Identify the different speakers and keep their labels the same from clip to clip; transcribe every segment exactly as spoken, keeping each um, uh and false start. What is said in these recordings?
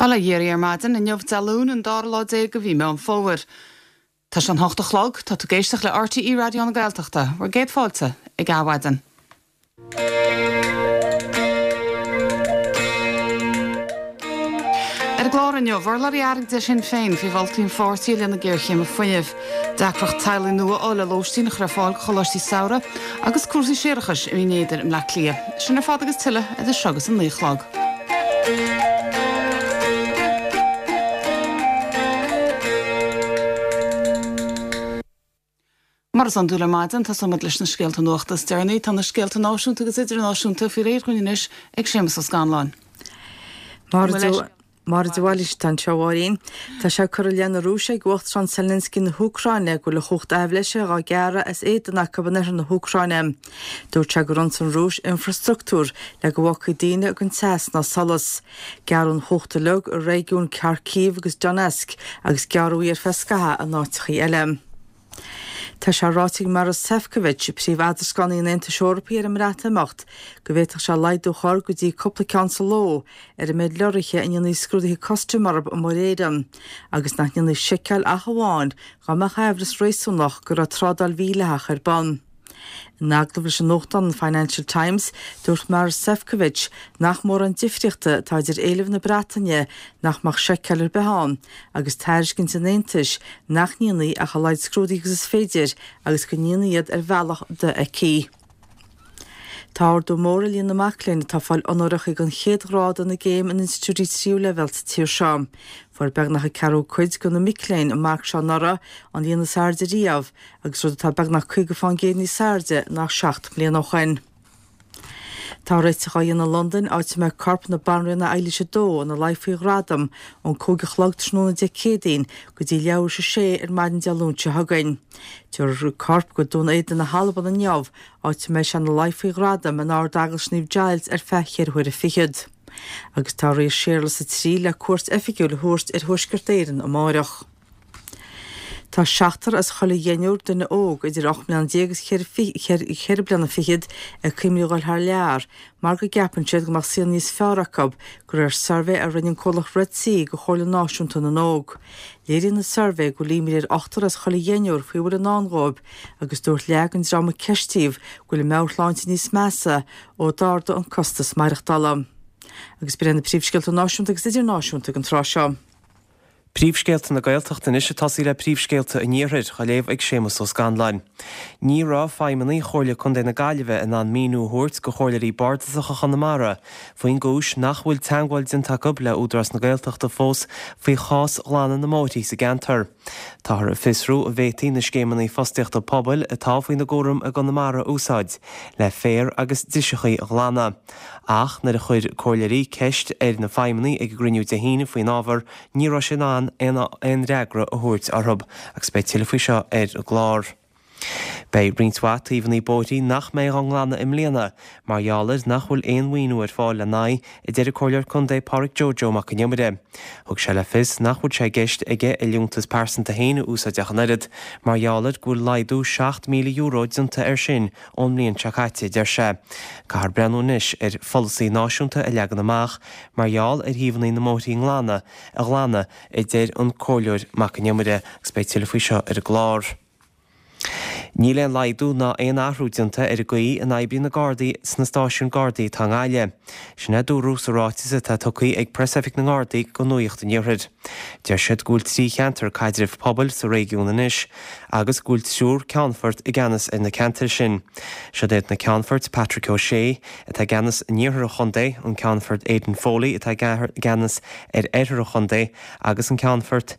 Speaker 1: Bail ó Dhia oraibh ar maidin inniu Dé Luain an dara lá déag de mhí Meán Fómhair. Tá sé an hocht a chlog, tá tú ag éisteacht le RTÉ Raidió na Gaeltachta, bhur gcéad fáilte ag Adhmhaidin. Ar an gclár inniu, urlabhraí airgid Shinn Féin faoi mholtaí an pháirtí i leith na géarchéime fuinnimh. Deacracht teaghlaigh nua a fháil le lóistín a chur ar fáil do choláistí samhraidh agus cúrsaí séarachais i Mín Éadair i mBleá Cliath. Sin ar fad agus tuilleadh idir seo agus an naoi a chlog. Mar is iondúil ar maidin, tosóimid leis na scéalta nuachta is deireanaí. Tá na scéalta náisiúnta agus idirnáisiúnta faoi réir dhúinn anois ag Séamus Ó Scanláin.
Speaker 2: Máire de Bhailís atá anseo, a Mháirín. Tá sé curtha i leith na Rúise ag Uachtarán Zelensky na hÚcráine go bhfuil a chumhacht aibhléise dhá gearradh as éadan acu in oirthear na hÚcráine. Dúirt sé gur ionsaigh an Rúis infreastruchtúr le go bhfágfaí daoine gan teas ná solas. Gearradh an chumhacht uilig i réigiúin Kharkiv agus Donetsk agus gearradh í ar feadh scaitheamh in áiteachaí eile. Tá sé ráite ag Maros Sefcovic, príomh-eadrascánaí an Aontais Eorpaigh ar an mBreatimeacht, go bhféadfadh sé laghdú a chur go dtí cúpla ceann sa ló ar an méid lorraithe a ndéanfaí scrúduithe custaim orthu i Muir Éireann, agus nach ndéanfaí seiceáil ach amháin dá mbeadh aimhreas réasúnach go raibh trádáil mhídhleathach ar bun. In agallamh leis an nuachtán an Financial Times, dúirt Maros Sefcovic nach mórán difríochta atá idir éileamh na Breataine nach mbeadh seiceáil ar bith ann agus tairiscint an Aontais nach ndéanfaí ach a laghad scrúduithe agus is féidir agus go ndéanfaí iad ar bhealach dofheicthe. Tá ardú mór i líon na mac léinn atá ag fáil onóracha den chéad ghrád ina gcéim in institiúidí tríú leibhéal sa tír seo. Fuair beagnach an ceathrú cuid de na mic léinn an marc seo anuraidh, an líon is airde riamh, agus rud atá beagnach caoga fán gcéad níos airde ná seacht mbliana ó shin. Tá réiteach á dhéanamh i Londain, áit a mbeidh corp na Banríona Eilís a Dó ina luí faoi ghradam ón cúig a chlog tráthnóna Dé Céadaoin go dtí leathuair tar éis a sé ar maidin Dé Luain seo chugainn. Tabharfar an corp go Dún Éideann na hAlban inniu, áit a mbeidh sé ina luí faoi ghradam in Ard-Eaglais Naomh Giles ar feadh cheithre huaire fichead. Agus tá an Rí Séarlas a Trí le cuairt oifigiúil a thabhairt ar Thuaisceart Éireann amáireach. Tá seachtar as chuile dheichniúr duine óg idir ocht mbliana déag agus cheithre bliana fichead ag cuimhneamh a dhul thar lear mar go gceapann siad go mbeadh saol níos fearr acu, de réir suirbhé a rinne an comhlacht Red C do Chomhairle Náisiúnta na nÓg. Léiríonn an suirbhé go bhfuil imní ar ochtar as chuile dheichniúr faoi a bhfuil i ndán dhóibh agus dúirt leath den dream a ceistíodh go bhfuil a meabhairshláinte níos measa ó d'ardaigh an costas maireachtála. Agus b'in iad na príomhscéalta náisiúnta agus idirnáisiúnta ag an tráth seo.
Speaker 3: Príomhscéalta na Gaeltachta anois ag tosaí le príomhscéalta an Iarthair, á léamh ag Séamus Ó Scanláin. Ní raibh feidhmeannaigh Chomhairle Contae na Gaillimhe in ann míniú a thabhairt go chomhairleoirí bardasacha Chonamara faoin gcúis nach bhfuil teagmháil déanta acu le Údarás na Gaeltachta fós faoi chás ghlanadh na mbóithrí sa gceantar. Táthar ag fiosrú an bhféadfaí na scéimeanna fostaíochta pobail atá faoina gcúram i gConamara a úsáid le féar agus driseachaí a ghlanadh. Ach nuair a chuir comhairleoirí ceist ar na feidhmeannaigh ag an gcruinniú Dé hAoine faoin ábhar, ní raibh siad in ann aon fhreagra a thabhairt orthu agus beidh tuilleadh faoi seo ar an gclár. Beidh roinnt mhaith taobhanna bóithrí nach mbeidh á nglanadh i mbliana mar gheall ar nach bhfuil aon mhaoiniú ar fáil lena n-aghaidh, a deir an Comhairleoir Contae Pádraig Joe Joe Mac an Iomaire. Thug sé le fios nach bhfuil sé i gceist aige a liúntas pearsanta féin a úsáid ach an oiread, mar gheall ar go bhfuil laghdú seacht míle euro déanta air sin ón mbliain seo caite, a deir sé. Caithfear breathnú anois ar pholasaí náisiúnta a leagan amach mar gheall ar thaobhanna na mbóithrí nglana a ghlanadh, a deir an Comhairleoir Mac an Iomaire, agus beidh tuilleadh faoi seo ar an gclár. Níl aon laghdú ná aon athrú déanta ar an gcaoi a n-oibríonn na Gardaí sna stáisiúin Gardaí atá i nGaillimh. Sin é a dúradh sa ráiteas atá tugtha ag Preasoifig na nGardaí go Nuacht an Iarthair. Deir siad go bhfuil trí cheantar caidrimh pobail sa réigiún anois agus go bhfuil triúr ceannfort i gceannas ar na ceantair sin. Siod iad na ceannfoirt, Patrick O'Shea, atá i gceannas in iarthar an chontae, an Ceannfort Aidan Foley atá i gceannas ar oirthear an chontae agus an Ceannfort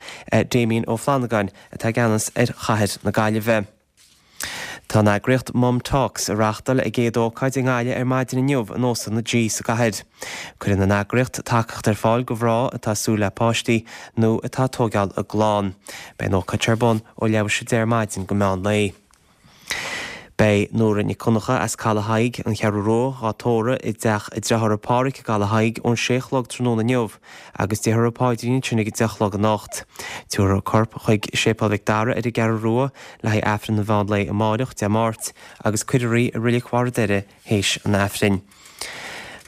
Speaker 3: Damien Ó Flannagáin atá i gceannas ar chathair na Gaillimhe. Tá an eagraíocht Mum Talks ag reáchtáil a gcéad ócáid i nGaillimh ar maidin inniu in Óstlann na G sa gcathair. Cuireann an eagraíocht tacaíocht ar fáil go mhná atá ag súil le páistí nó atá ag tóigeáil a gclann. Beidh an ócáid ar bun ó leathuair tar éis a deich ar maidin go meán lae. Beidh Nóra Nic Dhonncha as Caladh Thaidhg, An Cheathrú Rua, dhá tórramh i dteach a dearthára Páraic i gCaladh Thaidhg ón sé a chlog tráthnóna inniu agus déarfar an paidrín ansin ag a deich a chlog anocht. Tabharfar a corp chuig Séipéal Mhic Dara ar an gCeathrú Rua le haghaidh Aifreann an mheán lae amáireach, Dé Máirt, agus cuirfear í i Reilig Bharr an Doire théis an Aifrinn.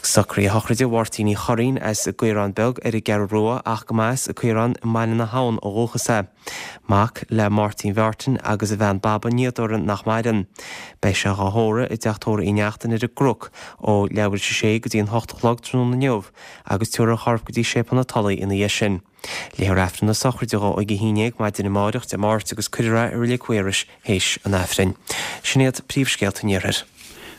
Speaker 3: Socruithe sochraide Mháirtín Uí Churraoin as an gCaorán Beag ar an gCeathrú Rua ach go mba as an Chaorán i mBaile na hAbhann ó dhúchas é. Mac le Máirtín Mhartin agus a bhean Baba Ní Dhoireann nach maireann. Beidh sé á thórramh i dteach tórraimh Uí Neachtain ar an gCnoc ó leathuair tar éis a sé go dtí an hocht a chlog tráthnóna inniu agus tabharfar a chorp go dtí Séipéal na Tulaí ina dhiaidh sin. Léifear Aifreann na sochraide dhó ag a haon déag maidin amárach Dé Máirt agus cuirfear é i Reilig Mhaorais théis an Aifrinn. Sin iad príomhscéalta an iarthair.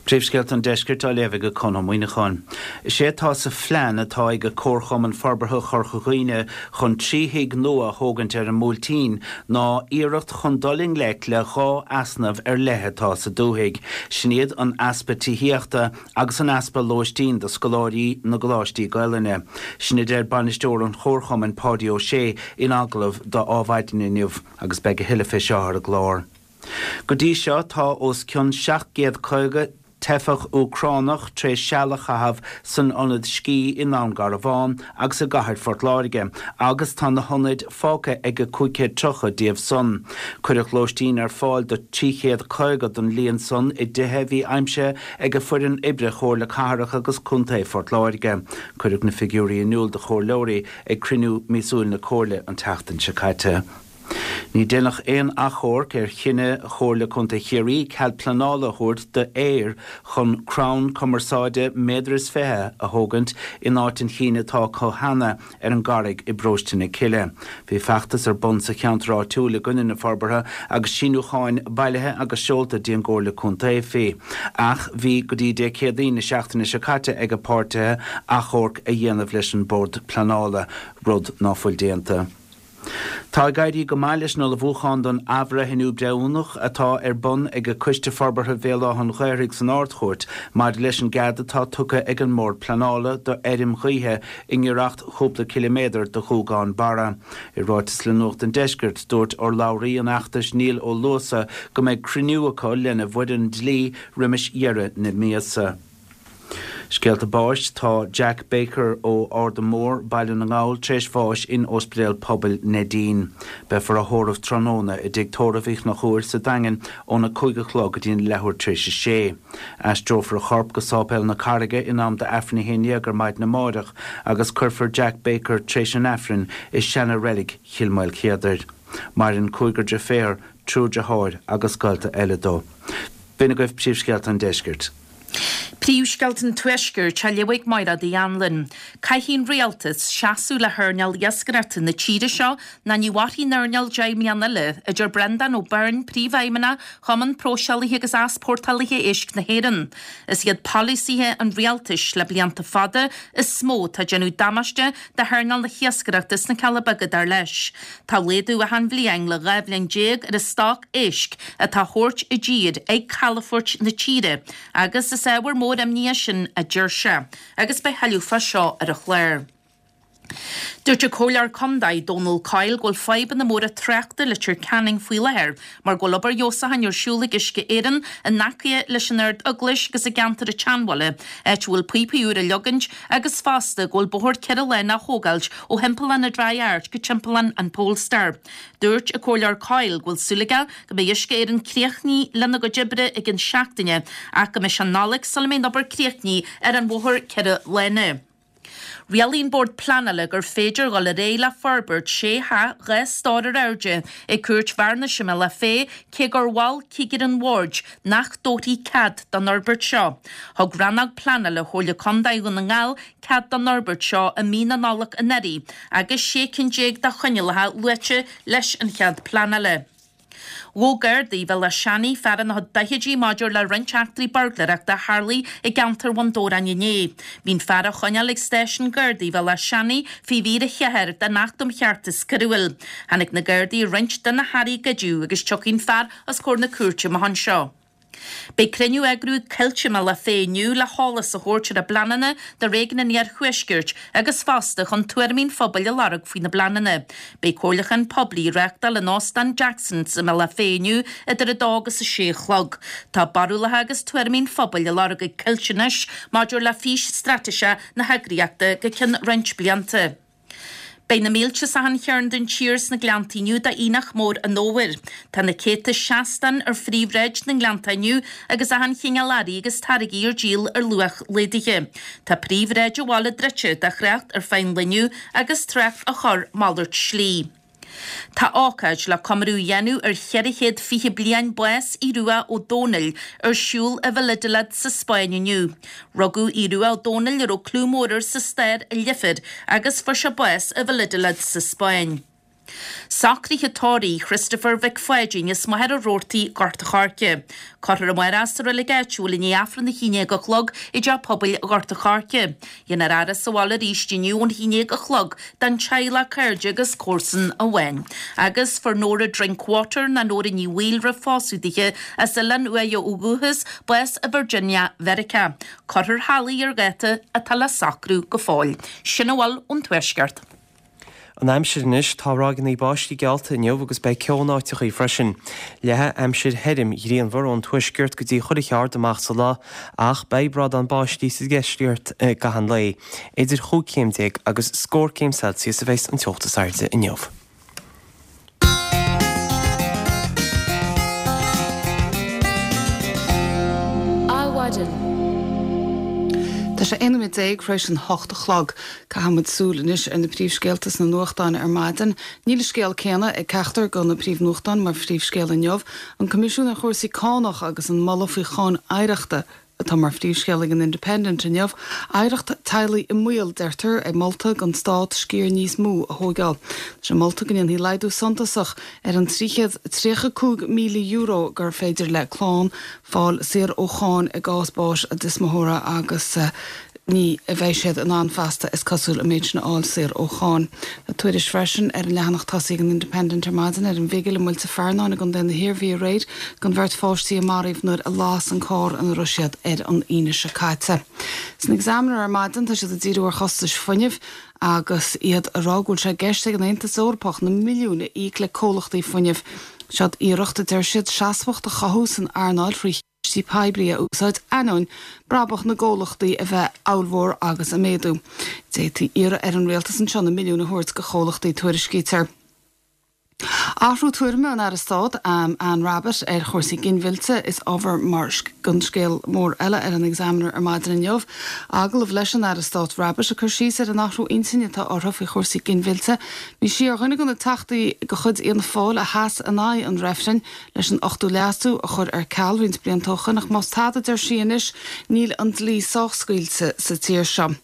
Speaker 4: Príomhscéalta an Deiscirt á léamh ag Conn Ó Muíneacháin. Is é atá sa phlean atá ag Comharchumann Forbartha Chorca Dhuibhne chun trí thigh nua a thógaint ar an mBuailtín ná iarracht chun dul i ngleic le dhá easnamh ar leith atá sa dúthaigh. Sin iad an easpa tithíochta agus an easpa lóistín do scoláirí na gcoláistí Gaelainne. Sin a deir bainisteoir an Chomharchumainn Páidí Ó Sé in agallamh do Adhmhaidin inniu agus beidh a thuilleadh fé seo ar an gclár. Go dtí seo tá os cionn seacht gcéad caoga teifeach Úcránach tar éis seal a chaitheamh san ionad scí i nDún Garbhán agus i gcathair Phort Láirge, agus tá na hionaid fágtha ag cúig chéad tríocha díobh san. Cuireadh lóistín ar fáil do trí chéad caoga den líon san i dtithe a bhí aimsithe ag a foireann oibre Chomhairle Cathrach agus Contae Phort Láirge. Cuireadh na figiúirí in iúl do chomhairleoirí ag cruinniú míosúil na Comhairle an tseachtain seo caite. Ní déanadh aon achomharc ar chinneadh Chomhairle Contae Chiarraí cead pleanála a thabhairt do Eir chun crann cumarsáide méadar is fiche a thógaint in áit an chinn atá acu cheana ar an gCarraig i bparóiste na Cille. Bhí feachtas ar bun sa cheantar áitiúil i gcoinne na forbartha agus síniúcháin bailithe agus seolta dtí an gComhairle Contae faoi. Ach bhí go dtí Dé Céadaoin na seachtaine seo caite ag páirtithe achomharc a dhéanamh leis an Bord Pleanála, rud ná fuil déanta. Tá ag éirí go maith leis na hullmhúcháin don athbhreithniú breithiúnach atá ar bun ag Coiste Forbartha Bhéal Átha an Ghaorthaidh san Ard-Chúirt maidir leis an gcead atá tugtha ag an mBord Pleanála do fheirm ghaoithe i ngiorracht chúpla ciliméadar do Ghuagán Barra. I ráiteas le Nuacht an Deiscirt, dúirt urlabhraí an fheachtais Niall Ó Luasa go mbeidh cruinniú acu lena bhfoireann dlí roimis dheireadh na míosa. Scéalta báis tá Jack Baker ó Ard Mór Baile na nGall tar éis bháis in Ospidéal Pobail Neidín. Beifear á thórramh tráthnóna i dtigh tórraimh Uí Chonchúir sa Daingean óna cúig a chlog go dtí an leathuair tar éis a sé. Aistreofar a chorp go Sáipéal na Carraige in am d'Aifreann a haon déag ar maidin amárach agus cuirfear Jack Baker tar éis an Aifrinn i seana-reilig Chill Mhaoilchéadair. Maireann cúigear deirféar, triúr deartháir agus gaolta eile dó. B'in agaibh príomhscéalta an Deiscirt.
Speaker 5: Príomhscéalta an Tuaiscirt á léamh ag Máire Uí Anluain. Caithfidh an rialtas seasamh le hearnáil iascaireachta na tíre seo nó ní mhairfidh an earnáil deich mbliana eile, a deir Breandán Ó Beirn, Príomhfheidhmeannach Chumann Próiseálaithe agus Easpórtálaithe Éisc na hÉireann. Is iad polasaithe an rialtais le blianta fada is mó atá ag déanamh damáiste do hearnáil na hiascaireachta sna Cealla Beaga dar leis. Tá laghdú achan bhliain le dhá bhliain déag ar an stoc éisc atá á thabhairt i dtír ag calafoirt na tíre agus is ábhar mór imní é sin, a deir sé, agus beidh tuilleadh fá seo ar an chlár. Dúirt an Comhairleoir Contae Dónal Coyle go bhfuil fadhbanna móra tráchta i Leitir Ceanainn faoi láthair mar go bhfuil obair fheabhsúcháin ar siúl ag Uisce Éireann in aice leis an Ard-Eaglais agus i gceantar an tSeanbhaile, áit a bhfuil píopaí úr á leagaint agus fosta go bhfuil bóthar ceithre lána á thógáilt ó thimpeallán an Dry Arch go timpeallán an Polestar. Dúirt an Comhairleoir Coyle go bhfuil súil aige go mbeidh Uisce Éireann críochnaithe lena gcuid oibre i gcionn seachtaine ach go mbeidh sé Nollaig sula mbeidh an obair críochnaithe ar an bhóthar ceithre lána. Rialaigh an Bord Pleanála gur féidir dhul ar aghaidh le forbairt sé theach dhá stór ar airde ag Cúirt Bhearnais i mBealach Féich cé gur mhol cigire an bhoird nach dtabharfaí cead don fhorbairt seo. Thug Rannóg Pleanála Chomhairle Contae Dhún na nGall cead don fhorbairt seo i mí na Nollag anuraidh agus sé cinn déag de choinníollacha luaite leis an chead pleanála. Ghabh Gardaí Bhéal Átha Seanaidh fear ina chuid daichidí maidir le roinnt eachtraí buirgléireachta a tharlaigh i gceantar Bhun Dobhráin inné. Bhí an fear á choinneáil ag stáisiún Gardaí Bhéal Átha Seanaidh faoi mhír a ceathair den Acht um Cheartas Coiriúil. Tháinig na Gardaí ar roinnt de na hearraí a goideadh agus tiocfaidh an fear os comhair na cúirte amach anseo. Beidh cruinniú á eagrú ag Coillte i mBealach Féich inniu le heolas a thabhairt ar a bpleananna do réigiún an Iarthuaiscirt agus fosta chun tuairimí an phobail a lorg faoi na bpleananna. Beidh comhairliúchán poiblí á reáchtáil in Óstán Jackson's i mBealach Féich inniu idir a dó agus a sé a chlog. Tá barúlacha agus tuairimí an phobail á lorg ag Coillte anois maidir le fís straitéiseach na heagraíochta go ceann roinnt blianta. Beidh na mílte as achan chearn den tír sna Gleannta inniu d'Aonach Mór an Fhómhair. Tá na céadta seastán ar phríomhshráid na nGleannta inniu agus achan chineál earraí agus táirgí ar díol ar luach laghdaithe. Tá príomhshráid an bhaile druidte do thrácht ar feadh an lae inniu agus trácht á chur malairt slí. Tá ócáid le comóradh a dhéanamh ar cheithre chéad fiche bliain bás Aodh Rua Ó Dónaill ar siúl i Valladolid sa Spáinn inniu. Rugadh Aodh Rua Ó Dónaill a raibh clú mór air sa stair i Leifear agus fuair sé bás i Valladolid sa Spáinn. Socruithe tórraimh Christopher Mhic Pháidín as Machaire Rabhartaigh, Gort a' Choirce. Cuirfear amárach é sa reilig áitiúil i ndiaidh Aifreann a haon déag a chlog i dTeach Pobail Ghort a' Choirce. Déanfar faire sa bhaile arís inniu ón haon déag a chlog don teaghlach, cairde agus comharsain amháin. Agus fuair Nóra Drinkwater ná Nóra Ní Bhaoill roimh phósadh dithe as Oileán Uaighe ó dhúchas, bás i Virginia, Mheiriceá. Cuirfear thall í ar dháta atá le socrú go fóill. Sin a bhfuil ón Tuaisceart.
Speaker 3: An aimsir anois, tá ráigeanna báistí geallta inniu agus beidh ceo in áiteachaí freisin. Leathfaidh aimsir thirim ghrianmhar ón tuaisceart go dtí chuile cheard amach sa lá ach beidh brádán báistí sa deisceart i gcaitheamh an lae. Idir chúig chéim déag agus scór céim Celsius a bheas an teocht is airde inniu.
Speaker 1: Adhmhaidin. Tá sé aon nóiméad déag tar éis an hocht a chlog. Caithfidh muid súil anois ar na príomhscéalta sna nuachtáin ar maidin. Níl an scéal céanna ag ceachtar de na príomhnuachtáin mar phríomhscéal inniu. An Coimisiún ar Chúrsaí Cánach agus an moladh faoi cháin oidhreachta atá mar phríomhscéal ag an Independent inniu. Oidhreacht teaghlaigh i mbaol, deirtear, ag molta don stát sciar níos mó a thóigeáil. Tá sé molta go ndéanfaí laghdú suntasach ar an trí chéad tríocha cúig míle euro gur féidir le clann fáil saor ó cháin i gcás báis a dtuismitheora agus ní bheidh siad in ann feasta, is cosúil, an méid sin a fháil saor ó cháin. Tá tuairisc freisin ar an leathanach tosaigh ag an Independent ar maidin ar an bhigil i muilte Fearnáin i gContae na hIarmhí aréir don bheirt pháistí a maraíodh nuair a las an carr ina raibh siad ar an Aoine seo caite. San Examiner ar maidin tá siad ag díriú ar chostais fuinnimh agus iad ag rá go bhfuil sé i gceist ag an Aontas Eorpach na milliúin a íoc le comhlachtaí fuinnimh. Seod iarracht, a deir siad, seasmhacht a chothú san earnáil thrí chistí poiblí a úsáid ainneoin brabach na gcomhlachtaí a bheith ollmhór agus ag méadú. D'fhéadfaí iarraidh ar an rialtas anseo na milliúin a thabhairt go chomhlachtaí, tuairiscítear. Athrú tuairime an Aire Stáit, Anne Rabbitte, ar chúrsaí ginmhillte is ábhar mar don scéal mór eile ar an Examiner ar maidin inniu. Agallamh leis an Aire Stáit Rabbitte ag cur síos ar an athrú intinne atá uirthi faoi chúrsaí ginmhillte. Bhí sí ar dhuine de na teachtaí de chuid Fhianna Fáil a sheas in aghaidh an reifrinn leis an Ochtú Leasú a chur ar ceal roinnt blianta ó shoin ach más tada, deir sí anois, níl an dlí sách scaoilte sa tír seo.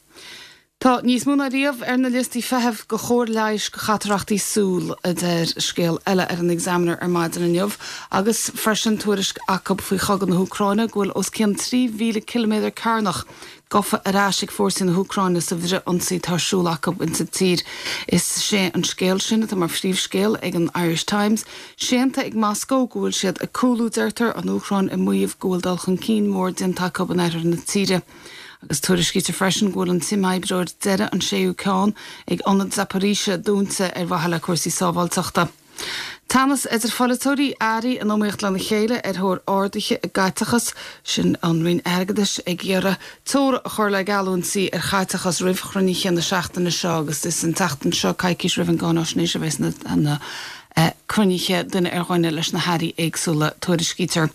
Speaker 1: Tá níos mó ná riamh ar na liostaí feithimh do chóir leighis do chatarachtaí súl, a deir scéal eile ar an Examiner ar maidin inniu, agus freisin tuairisc acu faoi chogadh na hÚcráine go bhfuil os cionn trí mhíle ciliméadar cearnach gafa ar ais ag fórsaí na hÚcráine sa bhfrith-ionsaí atá ar siúl acu insa tír. Is sé an scéal sin atá mar phríomhscéal ag an Irish Times. Séanta ag Moscó go bhfuil siad ag cúlú, deirtear, an Úcráin ag maíomh go bhfuil dul chun cinn mór déanta acu in oirthear na tíre. Agus tuairiscítear freisin go bhfuil an t-imoibreoir deiridh, an séú ceann, ag ionad Zaporizhzhia dúnta ar mhaithe le cúrsaí sábháilteachta. Teannas idir pholaiteoirí, airí in iomaíocht lena chéile ar thóir arduithe i gcaiteachas, sin an Roinn Airgeadais ag iarraidh teora a chur le geallúintí ar chaiteachas roimh chruinnithe na seachtaine seo agus is an tseachtain seo, coicís roimh an gcáináisnéis, a bheas na cruinnithe duine ar dhuine leis na hairí éagsúla, tuairiscítear.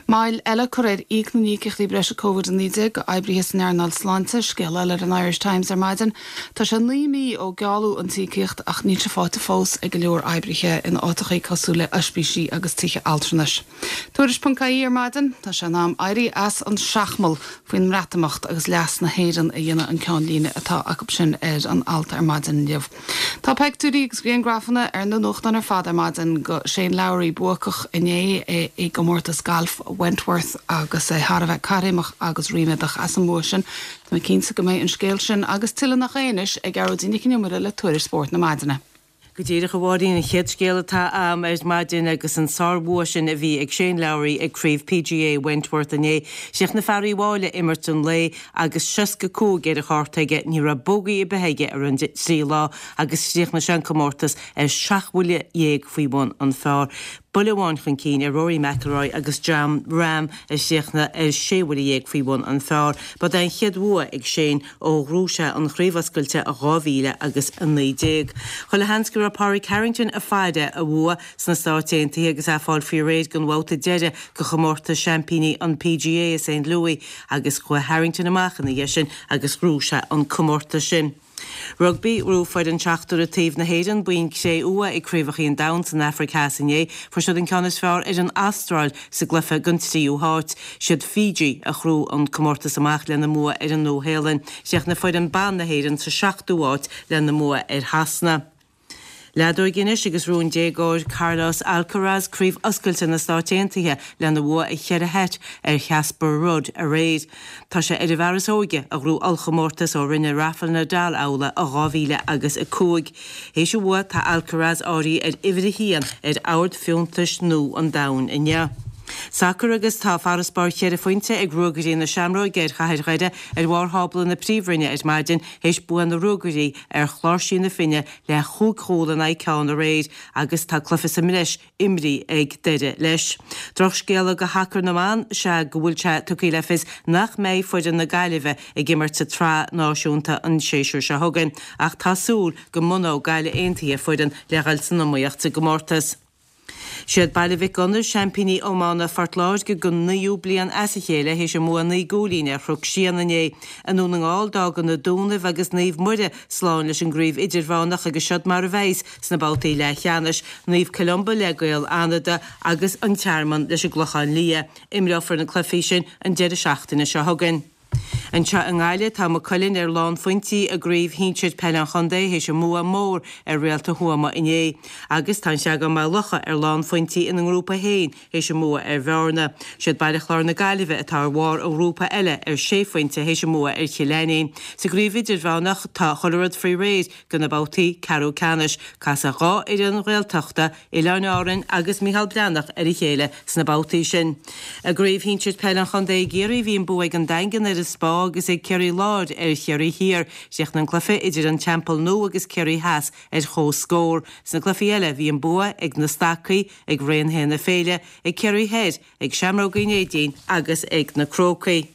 Speaker 1: Moill eile curtha ar íoc na n-íocaíochtaí breise Covid a naoi déag go oibrithe san earnáil sláinte, scéal eile ar an Irish Times ar maidin. Tá sé naoi mí ó gealladh an t-íocaíocht ach níl sé faighte fós ag go leor oibrithe in áiteachaí cosúil le oispísí agus tithe altranais. Tuairisc ponc ie ar maidin, tá sé in am éirí as an seachmall faoin mBreatimeacht agus leas na hÉireann a dhéanamh an ceannlíne atá acu sin ar an alt ar maidin inniu. Tá peictiúirí agus griangrafanna ar na nuachtáin ar fad ar maidin go Shane Lowry buacach inné i gcomórtas gailf Wentworth agus é thar a bheith caithréimeach agus ríméadach as an mbua sin. Tá mé cinnte go mbeidh an scéal sin agus tuilleadh nach é anois ag Gearóidín Nic an Iomaire le tuairisc spóirt na maidine.
Speaker 6: Go díreach, a Mháirín, an chéad scéal atá a'm ar maidin agus an sárbhua sin a bhí ag Shane Lowry ag Craobh P G A Wentworth inné. Chríochnaigh fear Uíbh Fhailí imirt an lae agus seasca cúig ar a chárta aige, ní raibh bogey ar bith aige ar an trí lá agus chríochnaigh sé an comórtas ar seacht bhuille dhéag faoi bhun an phar. Buille amháin chun cinn ar Rory McIlroy agus Jon Rahm a chríochnaigh ar sé bhuille dhéag faoi bhun an phar. Ba é an chéad bhua ag Shane ó ghnóthaigh sé an Chraobh Oscailte i dhá mhíle agus a naoi déag. Chuile sheans go raibh Pádraig Harrington ag faire a bhua sna Stáit Aontaithe agus é ag fáil faoi réir don bhabhta deiridh de chomórtas seaimpíní an PGA i Saint Louis agus chuaigh Harrington amach ina dhiaidh sin agus ghnóthaigh sé an comórtas sin. Rugbaí, Ghnóthaigh foireann seachtar taobh na hÉireann bonn cré-umha ag Craobhacha an Domhain san Afraic Theas inné, fuair siad an ceann is fearr ar an Astráil sa gcluiche don tríú háit. Siad Fiji a ghnóthaigh an comórtas amach lena mbua ar an Nua-Shéalainn. Chríochnaigh foireann ban na hÉireann sa seachtú háit lena mbua ar Shasana. Leadóg anois agus ghnóthaigh an déagóir Carlos Alcaraz Craobh Oscailte na Stáit Aontaithe lena bhua i cheithre sheit ar Casper Ruud aréir. Tá sé ar an bhfear is óige a ghnóthaigh ollchomórtas ó rinne Rafael Nadal amhlaidh i dhá mhíle agus a cúig. Théis a bhua tá Alcaraz áirithe ar uimhir a haon ar ord fiúntais nua an domhain inniu. Sacar agus tá farasbarr cheithre phointe ag Ruagairí na Seamróige ar Chathair Dhoire ar bharr thábla na Príomhroinne ar maidin théis bua na Ruagairí ar Chláirsí na Finne le chúig chúl in aghaidh ceann aréir agus tá cluiche sa mbreis imrithe ag Doire leis. Drochscéala do shacar na mban is ea go bhfuil sé tugtha le fios nach mbeidh foireann na Gaillimhe ag imirt sa tsraith náisiúnta an séasúr seo chugainn ach tá súil go mbunóidh Gaillimh Aontaithe foireann le dhul san iomaíocht sa gcomórtas. Siad Baile Mhic Gonair seaimpíní iomána Phort Láirge don naoú bliain as a chéile théis a mbua naoi gcúilín ar Chnoc Síon inné. I nDún na nGall d'fhág na Dúnaibh agus Naomh Muire slán leis an gcraobh idirmheánach agus siod mar a bheas sna babhtaí leathcheannais, Naomh Columba le Gaeil Fhánada agus an Tearmann leis an gClochán Liath. Imreofar na cluichí sin an deireadh seachtaine seo chugainn. Anseo i nGaillimh tá Maigh Cuilinn ar lánphointí i gcraobh shinsir peile an chontae théis a mbua mór ar Réalta Thuama inné. Agus tá an Seagán-Maigh Locha ar lánphointí ina ngrúpa féin théis a mbua ar Bhearna. Siad Baile Chláir na Gaillimhe atá ar bharr an ghrúpa eile ar sé phointe théis a mbua ar Chill Ainnín. Sa gcraobh idirmheánach tá chuile rud faoi réir do na babhtaí ceathrú ceannais. Casfaidh dhá fhoireann Ghaeltachta, Oileáin Árann agus Micheál Breathnach ar a chéile sna babhtaí sin. I gcraobh shinsir peile an chontae i gCiarraí bhí an bua ag an Daingean ar an Spá agus ag Ciarraí Láir ar Chiarraí Thiar. Chríochnaigh an cluiche idir an Teampall Nua agus Ciarraí Theas ar comhscór. Sna cluichí eile bhí an bua ag na Stacaigh, ag Raon na Féile, ag Ciarraí Thoir, ag Seamróga Uí Neidín agus ag na Crócaigh.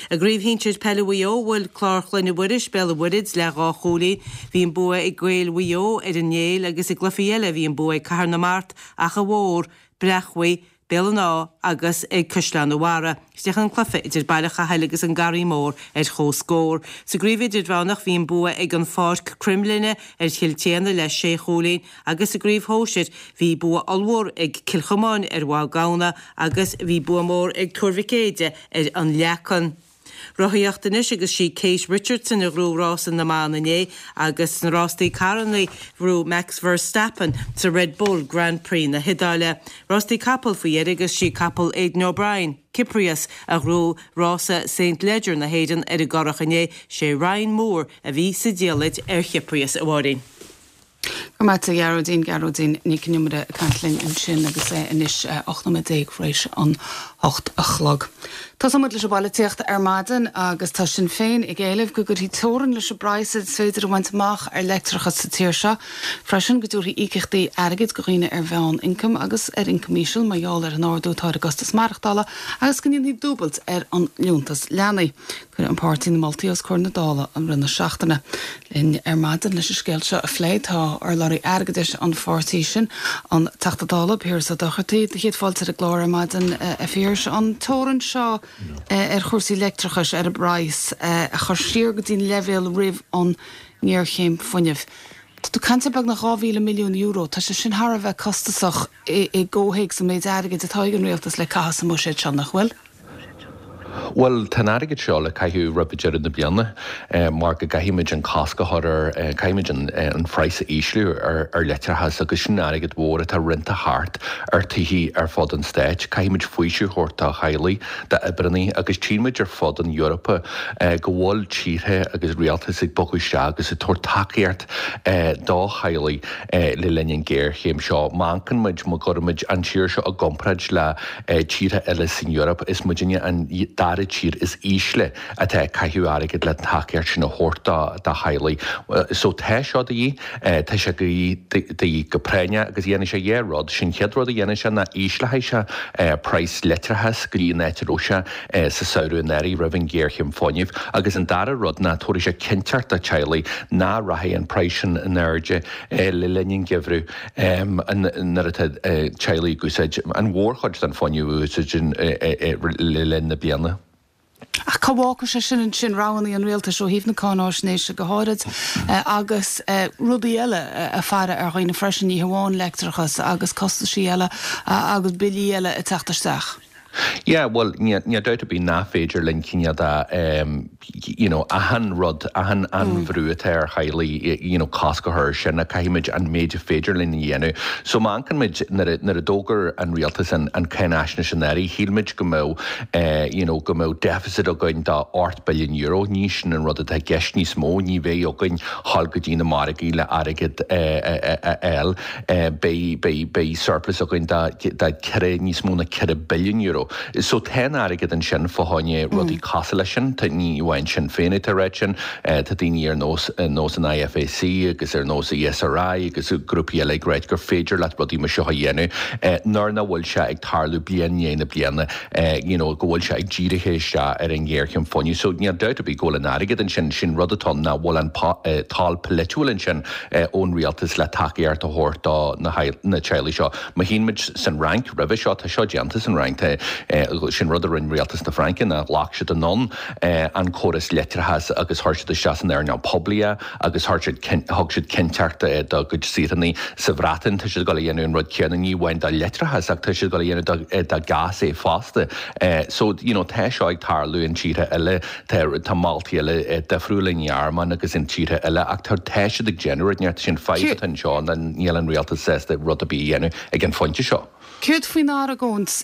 Speaker 6: I gcraobh shinsir peile Mhaigh Eo bhuail Clár Chloinne Mhuiris Béal an Mhuirthead le dhá chúilín. Bhí an bua ag Gaeil Mhaigh Eo ar an Néill agus i gcluichí eile bhí an bua ag Cathair na Mart, Achadh Mhór, Breachmhaigh, Béal an Átha agus ag Caisleán an Bharraigh. Chríochnaigh an cluiche idir Baile Chathail agus an Garraí Mór ar comhscór. Sa gcraobh idirmheánach bhí an bua ag an Pháirc Cruimlinne ar Chill tSéadhna le sé chúilín agus sa gcraobh shóisir bhí bua ollmhór ag Cill Chomáin ar Mhaigh Gamhna agus bhí bua mór ag Tuar Mhic Éide ar an Leacan. Rothaíocht anois agus sí Kate Richardson a ghnóthaigh rása na mban inné agus sna rástaí carranna ghnóthaigh Max Verstappen sa Red Bull Grand Prix na hIodáile. Rástaí capall faoi dheireadh agus sí capall Aidan O'Brien, Cyprius a ghnóthaigh rása St Leger na hÉireann ar an gCurrach inné sé Ryan Moore a bhí sa diallait ar Cyprius a Mháirín.
Speaker 1: Go maith a Ghearóidín Gearóidín Nic an Iomaire ag caint linn ansin agus é anois ocht nóiméad déag tar éis an hocht a chlog. Tosóidh muid leis an bpolaitíocht ar maidin agus tá Sinn Féin ag éileamh go gcuirfí teorainn leis an bpraghas is féidir a bhaint amach ar leictreachas sa tír seo. Freisin go dtabharfaí íocaíochtaí airgid do dhaoine ar mheánioncam agus ar ioncam íseal mar gheall ar an ardú atá ar an gcostas maireachtála agus go ndéanfaí dúbailt ar an liúntas leanaí. Cuireadh an páirtí na moltaí os comhair na Dála i rith na seachtaine. Linn ar maidin leis an scéal seo a phlé tá urlabhraí airgeadais an pháirtí sin an Teachta Dála Piaras Ó Dochartaigh do chéad fáilte ar an gclár ar maidin a Phiarais an teorainn seo ar chúrsaí leictreachais ar an bpraghas a chur siar go dtí an leibhéal roimh an ngéarchéim fuinnimh. Tá tú ag caint ar beagnach dhá mhíle milliún euro, tá sé sin thar a bheith costasach i gcomhthéacs an méid airgid atá ag an rialtas le caitheamh sa mbuiséad seo nach bhfuil?
Speaker 7: Bhuel tá an airgead seo le caitheamh roimh deireadh na bliana mar go gcaithfimid an cosc a chur ar caithfimid an an praghas a ísliú ar ar leictreachas agus sin airgead mhór atá roinnte thart ar tithe ar fud an stáit. Caithfimid faoiseamh a thabhairt do theaghlaigh d'oibrithe agus tchímid ar fud an Eorpa go bhfuil tíortha agus rialtas ag bogadh isteach agus ag tabhairt tacaíocht do theaghlaigh le linn an ghéarchéim seo. Má amharcann muid má chuirimid an tír seo i gcomparáid le tíortha eile san Eoraip is muidinne an dara dara tír is ísle atá ag caitheamh airgid le tacaíocht sin a thabhairt do theaghlaigh. So tá seo de dhíth, tá sé de dhíth go práinneach agus dhéanfaidh sé dhá rud. Sin chéad rud a dhéanfaidh sé ná ísleoidh sé praghas leictreachais go dtí an áit a raibh sé sa samhradh anuraidh roimh an ghéarchéim fuinnimh agus an dara rud ná tabharfaidh sé cinnteacht do theaghlaigh nach rachaidh an praghas sin in airde le linn an gheimhridh nuair atá teaghlaigh ag úsáid an mhórchuid den fuinneamh a úsáideann le linn na bliana.
Speaker 1: Ach cá bhfágfaidh sé sin ansin roghanna an rialtais ó thaobh na cáináisnéise go háirid agus rudaí eile ag faire ar dhaoine freisin, ní hamháin leictreachas agus costaisí eile agus billí eile ag teacht isteach?
Speaker 7: Yeah, bhuel, níl dabht ar bith nach féidir linn cineál de, you know, achan rud, achan an bhrú atá ar theaghlaigh, you know, cosc a chur air sin, caithfimid an méid a féidir linn a dhéanamh. So má amharcann muid, nuair a, nuair a d'fhógair an rialtas an, an cáinaisnéis anuraidh, shíl muid go mbeadh, eh, you know, go mbeadh deficit againn de ocht billiún euro, ní sin an rud atá i gceist níos mó, ní bheidh againn dhul go dtí na margaí le airgead eh, a, a, a fháil, eh, beidh, beidh, beidh surplus againn de, de ceithre, níos mó ná ceithre billiún euro. So tá an airgead ansin fá choinne rudaí cosúil leis sin, tá ní amháin Sinn Féin atá ag ráit sin, tá daoine ar nós nós an IFAC agus ar nós ESRI agus grúpaí eile ag ráit gur féidir leat rudaí mar seo a dhéanamh nuair nach bhfuil sé ag tarlú bliain i ndiaidh na bliana, you know, go bhfuil sé ag dírithe isteach ar an ngéarchéim fuinnimh. So níl dabht ar bith go bhfuil an airgead ansin, sin rud atá ann nach bhfuil an toil polaitiúil ansin ón rialtas le tacaíocht a thabhairt do na teaghlaigh seo. Má théann muid san Fhrainc roimhe seo, tá seo déanta san Fhrainc, tá Sin rud a rinne rialtas na Fraince ná ghlac siad anonn an córas leictreachais agus chuir siad isteach san earnáil poiblí é agus chuir siad thug siad cinnteacht dá gcuid saoránaigh. Sa Bhreatain tá siad ag dul a dhéanamh an rud céanna, ní amháin do leictreachas ach tá siad ag dul a dhéanamh do ghás é fosta. So you know tá seo ag tarlú in tíortha eile, tá tá moltaí eile difriúla i nGearmáin agus in tíortha eile ach tá tá siad ag déanamh rud inteacht. Sin fadhb atá anseo ná níl an rialtas sásta rud ar bith a dhéanamh ag an phointe seo.
Speaker 1: Céard faoin argóint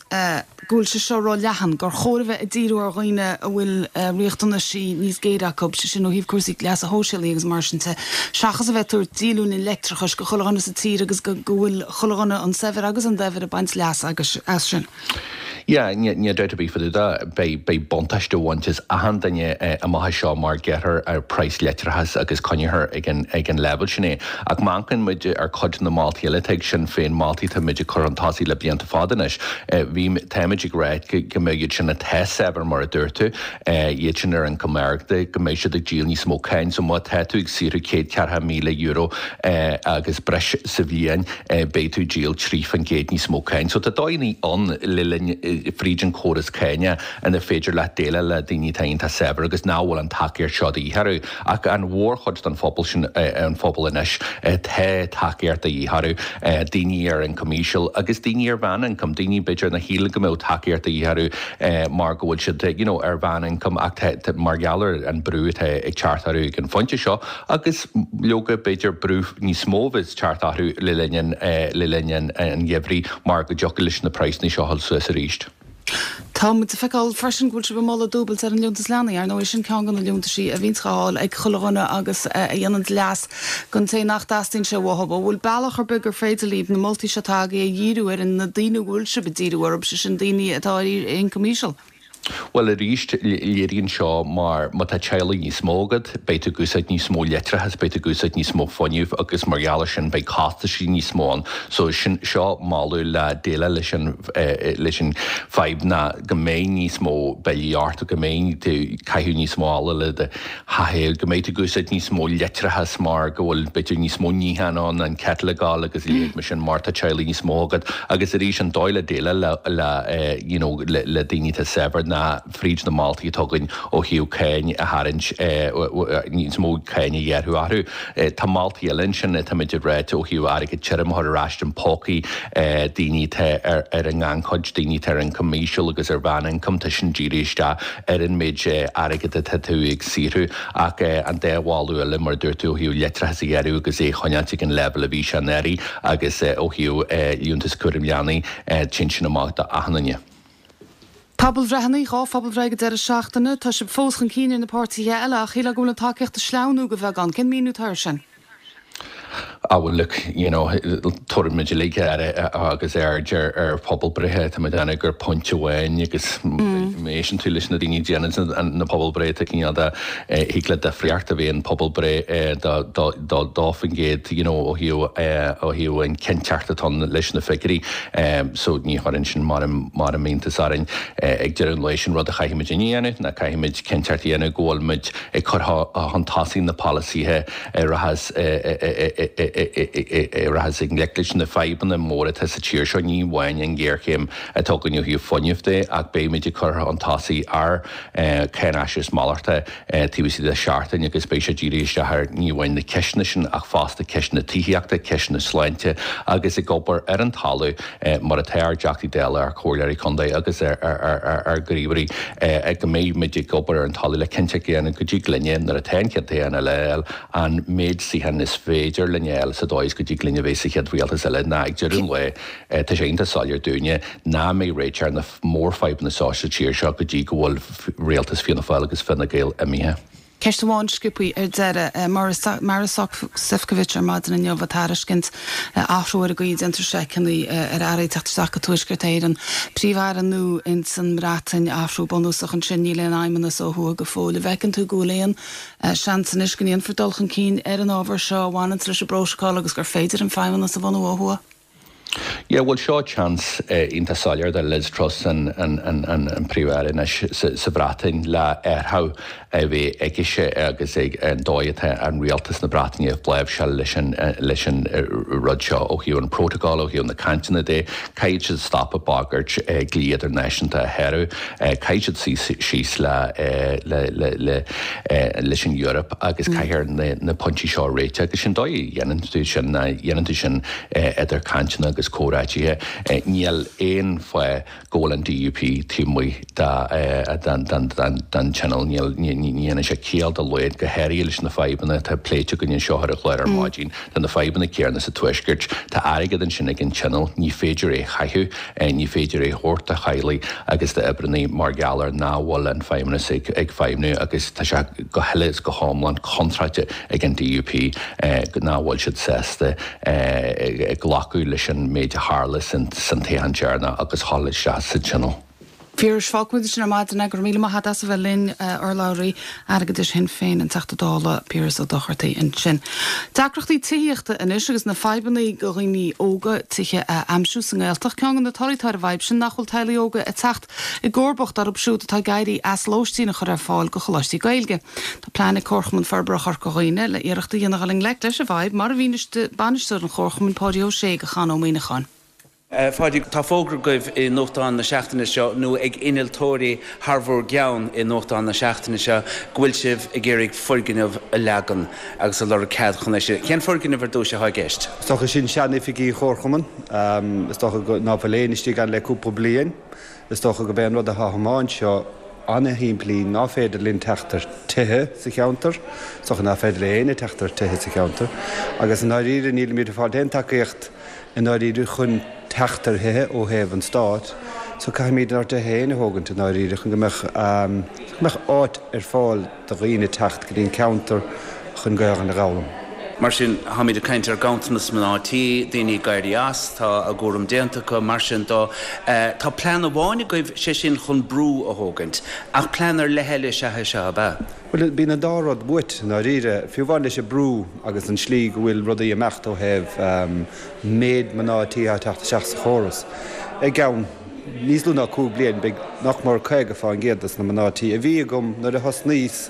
Speaker 1: go bhfuil sé seo ró-leathan, gur chóir a bheith ag díriú ar dhaoine a bhfuil riachtanaisí níos géire acu, sé sin ó thaobh cúrsaí leasa shóisialaigh agus mar sin de, seachas a bheith ag tabhairt díolúine leictreachais go chuile dhuine sa tír agus go bhfuil chuile dhuine, an saibhir agus an daibhir, ag baint leas as sin?
Speaker 7: Yeah, níl dabht ar bith fá dtaobh de, beidh, beidh buntáiste ag baint as achan duine amach anseo mar gearrfar ar praghas leictreachais agus coinneofar ag an, ag an leibhéal sin é. Ach má amharcann muid ar cuid de na moltaí eile atá ag Sinn Féin, moltaí atá muid ag cur chun tosaigh le blianta fada anois, bhí, táimid ag rá go, go mbeidh iad sin atá saibhir mar a dúirt tú, iad sin ar ioncam ard, go mbeidh siad ag díol níos mó cáin. So má tá tú ag saothrú céad ceathracha míle euro agus breis sa bhliain, beidh tú ag díol trí faoin gcéad níos mó cáin. So tá dóigheanna ann le linn fríd an córas cáine ina féidir leat déileáil le daoine atá iontach saibhir agus nach bhfuil an tacaíocht seo de dhíth orthu. Ach an mhórchuid den phobal sin, an phobal anois, tá tacaíocht de dhíth orthu, daoine ar ioncam íseal agus daoine ar mheánioncam, daoine b'fhéidir nár shíl go mbeadh tacaíocht de dhíth orthu mar go bhfuil siad you know ar mheánioncam ach tá mar gheall ar an brú atá ag teacht orthu ag an phointe seo agus leoga b'fhéidir brú níos mó a bheas ag teacht orthu le linn an le linn an gheimhridh mar go dtiocfaidh leis na praghsanna seo dhul suas arís.
Speaker 1: Tá muid ag feiceáil freisin go bhfuil sibh ag moladh dúbailt ar an Liúntas Leanaí. Ar ndóigh, sin ceann de na liúntaisí a bhíonns á fháil ag chuile dhuine agus a dhéanann leas don té nach dteastaíonn sé uathu. An bhfuil bealach ar bith gur féidir libh na moltaí seo atá agaibh a dhíriú ar na daoine a bhfuil sibh ag díriú orthu, sé sin daoine atá ar ioncam íseal?
Speaker 7: Bhuel, arís, léiríonn seo mar má tá teaghlaigh níos mó agat, beidh tú ag úsáid níos mó leictreachais, beidh tú ag úsáid níos mó fuinnimh agus mar gheall air sin beidh costaisí níos mó ann. So sin, seo moladh le déileáil leis an, leis an fadhb ná go mbeidh níos mó billí ort, go mbeidh tú ag caitheamh níos mó ola le do theach, go mbeidh tú ag úsáid níos mó leictreachais mar go bhfuil b'fhéidir níos mó níocháin ann, an kettle ag gabháil agus a leithéid mar sin mar tá teaghlaigh níos mó agat. Agus arís an dóigh le déileáil le, le you know, le, le daoine atá saibhir ná fríd na moltaí atá againn ó thaobh cáin a tharraingt, níos mó cáin a ghearradh orthu. Tá moltaí eile ansin atáimid ag ráit ó thaobh airgead tirim a chur ar ais im pócaí daoine atá ar ar an ngannchuid, daoine atá ar ioncam íseal agus ar mheánioncam, tá sin dírithe isteach ar an méid airgid atá tú ag saothrú. Ach an dá mholadh eile, mar a dúirt tú, ó thaobh leictreachas a ghearradh agus é a choinneáilt ag an leibhéal a bhí sé anuraidh agus ó thaobh liúntas cúraim leanaí, téann sin amach do achan duine.
Speaker 1: Pobalbhreitheanna, dhá phobalbhreith ag an deireadh seachtaine. Tá sibh fós chun cinn ar na páirtithe eile ach shílfeá go bhfuil an tacaíocht ag sleamhnú de bheagán. Cén míniú atá air sin?
Speaker 7: Ah well look, you know, tabharfaimid uilig aire agus aird ar ar pobalbhreithe tá muid ag gur pointe amháin agus má éisteann tú leis na daoine déanann na pobalbhreithe cineál de thig le difríocht a bheith in pobalbhreith dá dá faoin gcéad you know, ó thaobh ó thaobh an cinnteacht atá leis na figiúirí so ní chuireann sin mar mar iontas orainn ag deireadh an lae sin rud a chaithfimid a dhéanamh ná caithfimid cinnteacht a dhéanamh go bhfuilmid ag cur chun tosaigh na polasaithe a rachas a rachas i ngleic leis na fadhbanna móra atá sa tír seo ní amháin an ghéarchéim atá againn ó thaobh fuinnimh de ach beimid ag cur chun tosaigh ár cáinaisnéis malartach taobh istigh de seachtain agus beidh sé dírithe isteach ar ní amháin na ceisteanna sin ach fosta ceisteanna tithíochta, ceisteanna sláinte agus ag obair ar an talamh mar atá ár dTeachtaí Dála, ár Comhairleoirí Contae agus ár ngníomhairí go mbeidh muid ag obair ar an talamh le cinnteacht a dhéanamh go dtig linne nuair atá an chéad toghchán eile a fháil an méid suíochán is féidir linn a fháil sa dóigh is go dtig linn a bheith sa chéad rialtas eile ná ag deireadh an lae tá sé iontach soiléir dúinne nach mbeidh réiteach ar na mórfhadhbanna seo sa tír seo go dtí go bhfuil rialtas Fianna Fáil agus Fine Gael imithe.
Speaker 1: Ceist amháin sciobtha ar deireadh. Maros Sefcovic ar maidin inniu ag tairiscint athrú ar an gcaoi a déantar seiceanna ar earraí ag teacht isteach go Tuaisceart Éireann. Príomh-Aire nua ins an mBreatain, athrú bunúsach ansin, níl aon fheidhmeannas ó thuaidh go fóill. An bhfeiceann tú go bhfuil aon seans anois go ndéanfar dul chun cinn ar an ábhar seo a bhaineanns leis an bprótocol agus gur féidir an feidhmeannas a bhunú ó thuaidh?
Speaker 7: Yeah, bhuel seo chance iontach soiléir do Liz Truss an an Príomh-Aire anois sa Bhreatain le athrú a bheith aicise agus ag an dóigh atá an rialtas na Breataine ag láimhseáil leis an leis an rud seo ó thaobh an protocol, ó thaobh na cainteanna de. Caithfidh siad stop ag bagairt dlí idirnáisiúnta a shárú. Caithfidh siad suí síos le le le le leis an Eoraip agus caithfear na na pointí seo a réiteach agus sin dóigh a dhéanann tú sin ná dhéanann tú sin idir cainteanna agus comhráitithe. Níl aon fáth go bhfuil an DUP taobh amuigh den Tionól. Níl ní dhéanann sé ciall dá laghad, go háirithe leis na fadhbanna atá pléite againn anseo ar an chlár ar maidin. Tá na fadhbanna céanna sa Tuaisceart. Tá airgead ansin ag an Tionól, ní féidir é a chaitheamh, ní féidir é a thabhairt do theaghlaigh agus d'oibreanna mar gheall ar nach bhfuil an Feidhmeannas ag feidhmiú agus tá sé go huile is go hiomlán contráilte ag an DUP nach bhfuil siad sásta glacadh leis an méid a tharla san toghchán deireanach agus dhul isteach sa Tionól.
Speaker 1: Phiarais, fágfaimid ansin ar maidin é. Go raibh míle maith agat as a bheith linn, urlabhraí airgeadais Shinn Féin, an Teachta Dála Piaras Ó Dochartaigh ansin. Deacrachtaí tithíochta anois agus na fadhbanna do dhaoine óga tithe a aimsiú sa nGaeltacht. Ceann de na torthaí atá ar an bhfadhb sin nach bhfuil teaghlaigh óga ag teacht i gcomharbacht orthu siúd atá ag éirí as lóistín a chur ar fáil do choláistí Gaeilge. Tá plean ag Comharchumann Forbartha Chorca Dhuibhne le iarracht a dhéanamh dul i ngleic leis an bhfadhb, mar a mhínigh bainisteoir an Chomharchumainn Páidí Ó Sé do Chon Ó Muíneacháin.
Speaker 4: Pháidí, tá fógra agaibh i nuachtán na seachtaine seo, nó ag innealtóirí thar bhur gceann i nuachtán na seachtaine seo, go bhfuil sibh ag iarraidh foirgneamh a leagan agus ag lorg cead chun é sin. Cén foirgneamh ar dtús atá i gceist?
Speaker 8: Is dócha sin sean-oifigí an Chomharchumainn. Is dócha go ná fuil éinne istigh ann le cúpla bliain. Is dócha gurb é an rud atá amach anseo ana-shimplí, ná féidir linn teacht ar tithe sa cheantar. Is dócha ná féidir le éinne teacht ar tithe sa cheantar. Agus i ndáiríre nílimid ag fáil aon tacaíocht i ndáiríre chun teacht ar thithe ó thaobh an Stáit, so caithfimid ár dtithe féin a thógaint i ndáiríre chun go mbeadh go mbeadh áit ar fáil do dhaoine teacht go dtí an ceantar chun Gaelainn a dh'fhoghlaim.
Speaker 4: Mar sin, táimid ag caint ar ghanntanas mná tí, daoine ag éirí as, tá a gcúram déanta acu, mar sin dó. Tá plean amháin agaibh, sé sin chun brú a thógaint, ach plean ar leith eile is ea é seo, ab ea?
Speaker 8: Bhuel, bíonn an dá rud uait, i ndáiríre. Fiú amháin leis an brú agus an slí go bhfuil rudaí ag imeacht ó thaobh méid mná tí atá ag teacht isteach sa chóras. I gceann níos lú ná cúig bliain, beidh nach mór caoga fán gcéad des na mná tí a bhí agam nuair a thosnaíos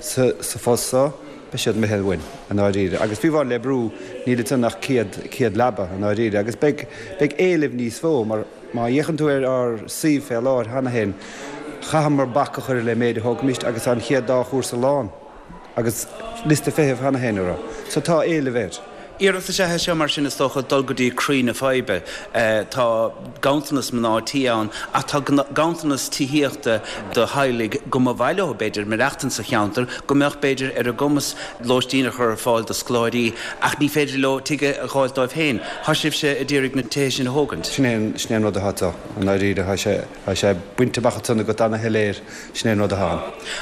Speaker 8: sa phost seo, beidh siad imithe uainn, i ndáiríre. Agus fiú amháin le brú, níl ansan ach céad, céad leaba, i ndáiríre. Agus beidh, beidh éileamh níos mó mar má fhéachann tú ar ár suíomh fé láthair cheana féin, Chaitheamar bac a chur le méid a thógfaimist agus tá an chéad dá chúrsa lán agus liosta feithimh cheana féin orthu. So tá éileamh air.
Speaker 4: Iarracht is ea é seo mar sin is dócha dul go dtí croí na faidhbe. Tá ganntanas mná tí ann ach tá ganntanas tithíochta do theaghlaigh go mba mhaith leo b'fhéidir maireachtaint sa cheantar, go mbeadh b'fhéidir ar a gcumas lóistín a chur ar fáil do scoláirí ach ní féidir leo tigh a dh'fháilt dóibh féin. Tá sibhse a d'iarraidh na tithe sin a thógaint.
Speaker 8: Sin é an rud atá anseo i ndáiríre. Tá sé. Tá sé bainte amach ansan agat ana-shoiléir, sin é an rud atá ann.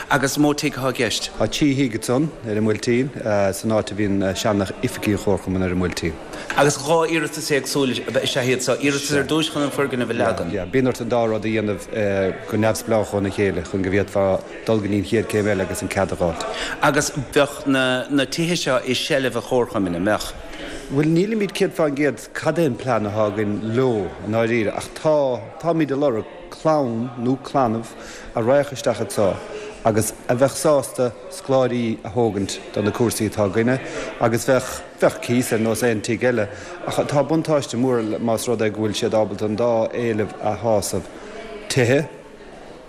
Speaker 4: Agus mó tigh atá i gceist?
Speaker 8: Tá trí thigh ansan ar an mBuailtín, san áit a bhíonn sean-oifigí an Chomharchumainn. gComharchumann ar an mBuailtín.
Speaker 4: Agus dhá iarratas éagsúil is ea iad seo, iarratas ar dtús chun an foirgneamh a leagan.
Speaker 8: Yeah, bíonn ort an dá rud a dhéanamh go neamhspleách óna chéile chun go bhféadfá dul go dtí an chéad céim eile agus an cead a dh'fháilt.
Speaker 4: Agus bheadh na na tithe seo i seilbh an Chomharchumainn, an mbeadh?
Speaker 8: Bhuel, nílimid céad fán gcéad cad é an plean atá againn leo i ndáiríre ach tá, táimid ag lorg clann nó clannamh a raghadh isteach anseo agus a bheadh sásta scoláirí a thógaint do na cúrsaí atá againne agus bheadh, bheadh cíos ar nós aon tigh eile ach tá buntáiste mór más rud é go bhfuil siad ábalta an dá éileamh a shásamh, tithe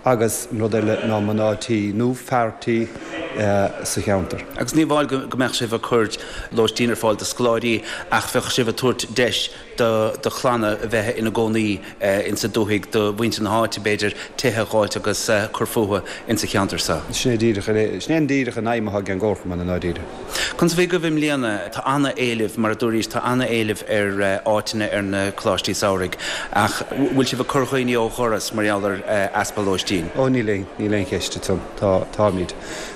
Speaker 8: agus an rud eile ná mná tí nó fear tí sa cheantar.
Speaker 4: Agus ní amháin go mbeadh sibh ag cur lóistín ar fáil do scoláirí ach bheadh sibh ag tabhairt deis do do chlanna a bheith ina gcónaí insa dúthaigh, do mhuintir na háite b'fhéidir, tithe a dh'fháilt agus cur fúthu insa cheantar seo.
Speaker 8: Sin é díreach é, sin é díreach an aidhm atá ag an gComharchumann i ndáiríre.
Speaker 4: Conas a bhí agaibh i mbliana? Tá ana-éileamh, mar a dúraís, tá ana-éileamh ar áiteanna ar na coláistí samhraidh ach bhfuil sibh ag cur dhaoine ó dhoras mar gheall ar easpa lóistín?
Speaker 8: Ó níl aon, níl aon cheist ansan. Tá, táimid.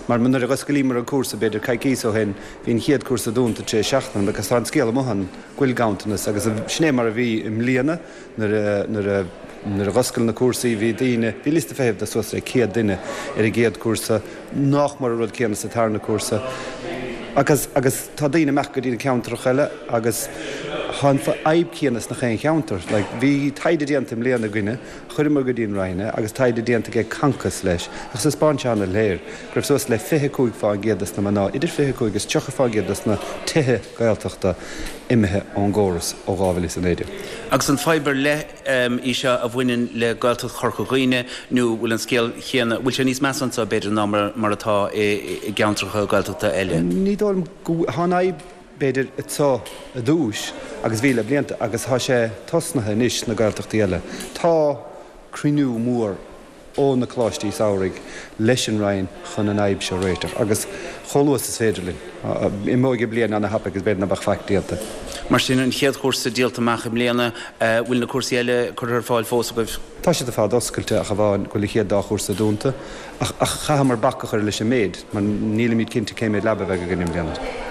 Speaker 8: Mar nuair a dh'oscailíomar an cúrsa b'fhéidir coicíos ó shin, bhí an chéad cúrsa dúnta tar éis seachtain agus tá an scéal amuigh ann go bhfuil ganntanas agus sin é mar a bhí i mbliana nuair a, nuair a, nuair a dh'oscail na cúrsaí bhí daoine, bhí liosta feithimh de suas le céad duine ar an gcéad cúrsa, nách mór an rud céanna sa tarna cúrsa. Agus, agus tá daoine imeacht go dtí na ceantracha eile agus tá an fhadhb céanna sna chaon cheantar. Like, bhí taighde déanta i mbliana againne, chuireamar go dtí an Roinn é agus taighde déanta ag Concos leis agus thaispeáin sé an-shoiléir go raibh suas le fiche cúig fán gcéad des na mná, idir fiche cúig agus tríocha fán gcéad des na tithe Gaeltachta imithe ón gcóras ó dhá mhíle is a naoi déag.
Speaker 4: Agus an fadhb ar leith í seo a bhaineann le Gaeltacht Chorca Dhuibhne nó bhfuil an scéal chéanna, bhfuil sé níos measa anseo b'fhéidir ná mar atá i gceantracha Gaeltachta eile?
Speaker 8: Ní dóigh liom go, tá an fhadhb b'fhéidir anseo i dtús agus bhí le blianta agus tá sé tosnaithe anois sna Gaeltachtaí eile. Tá cruinniú mór ó na coláistí samhraidh leis an Roinn chun an fhadhb seo a réiteach agus chomh luath is féidir linn. Imeoidh an bliain ana-thapaidh agus b'fhéidir nach mbeadh faic déanta.
Speaker 4: Mar sin, an chéad chúrsa díolta amach i mbliana, bhfuil na cúrsaí eile curtha ar fáil fós agaibh?
Speaker 8: Tá siad ar fad oscailte ach amháin go bhfuil an chéad dá chúrsa dúnta. Ach chaitheamar bac a chur leis an méid mar nílimid cinnte cé méid leaba a bheidh againn i mbliana.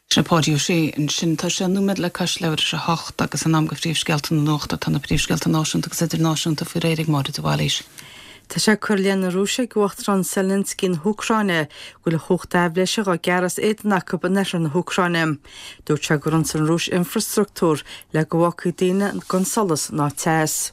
Speaker 1: Sin Páidí Ó Sé ansin. Tá sé nóiméad le cois leathuair tar éis a hocht agus in am do phríomhscéalta na nuachta. Tá na príomhscéalta náisiúnta agus idirnáisiúnta faoi réir ag Máire de Bhailís.
Speaker 2: Tá sé curtha i leith na Rúise ag Uachtarán Zelensky na hÚcráine go bhfuil a chumhacht aibhléise dhá gearradh as éadan acu in oirthear na hÚcráine. Dúirt sé gur ionsaigh an Rúis infreastruchtúr le go bhfágfaí daoine gan solas ná teas.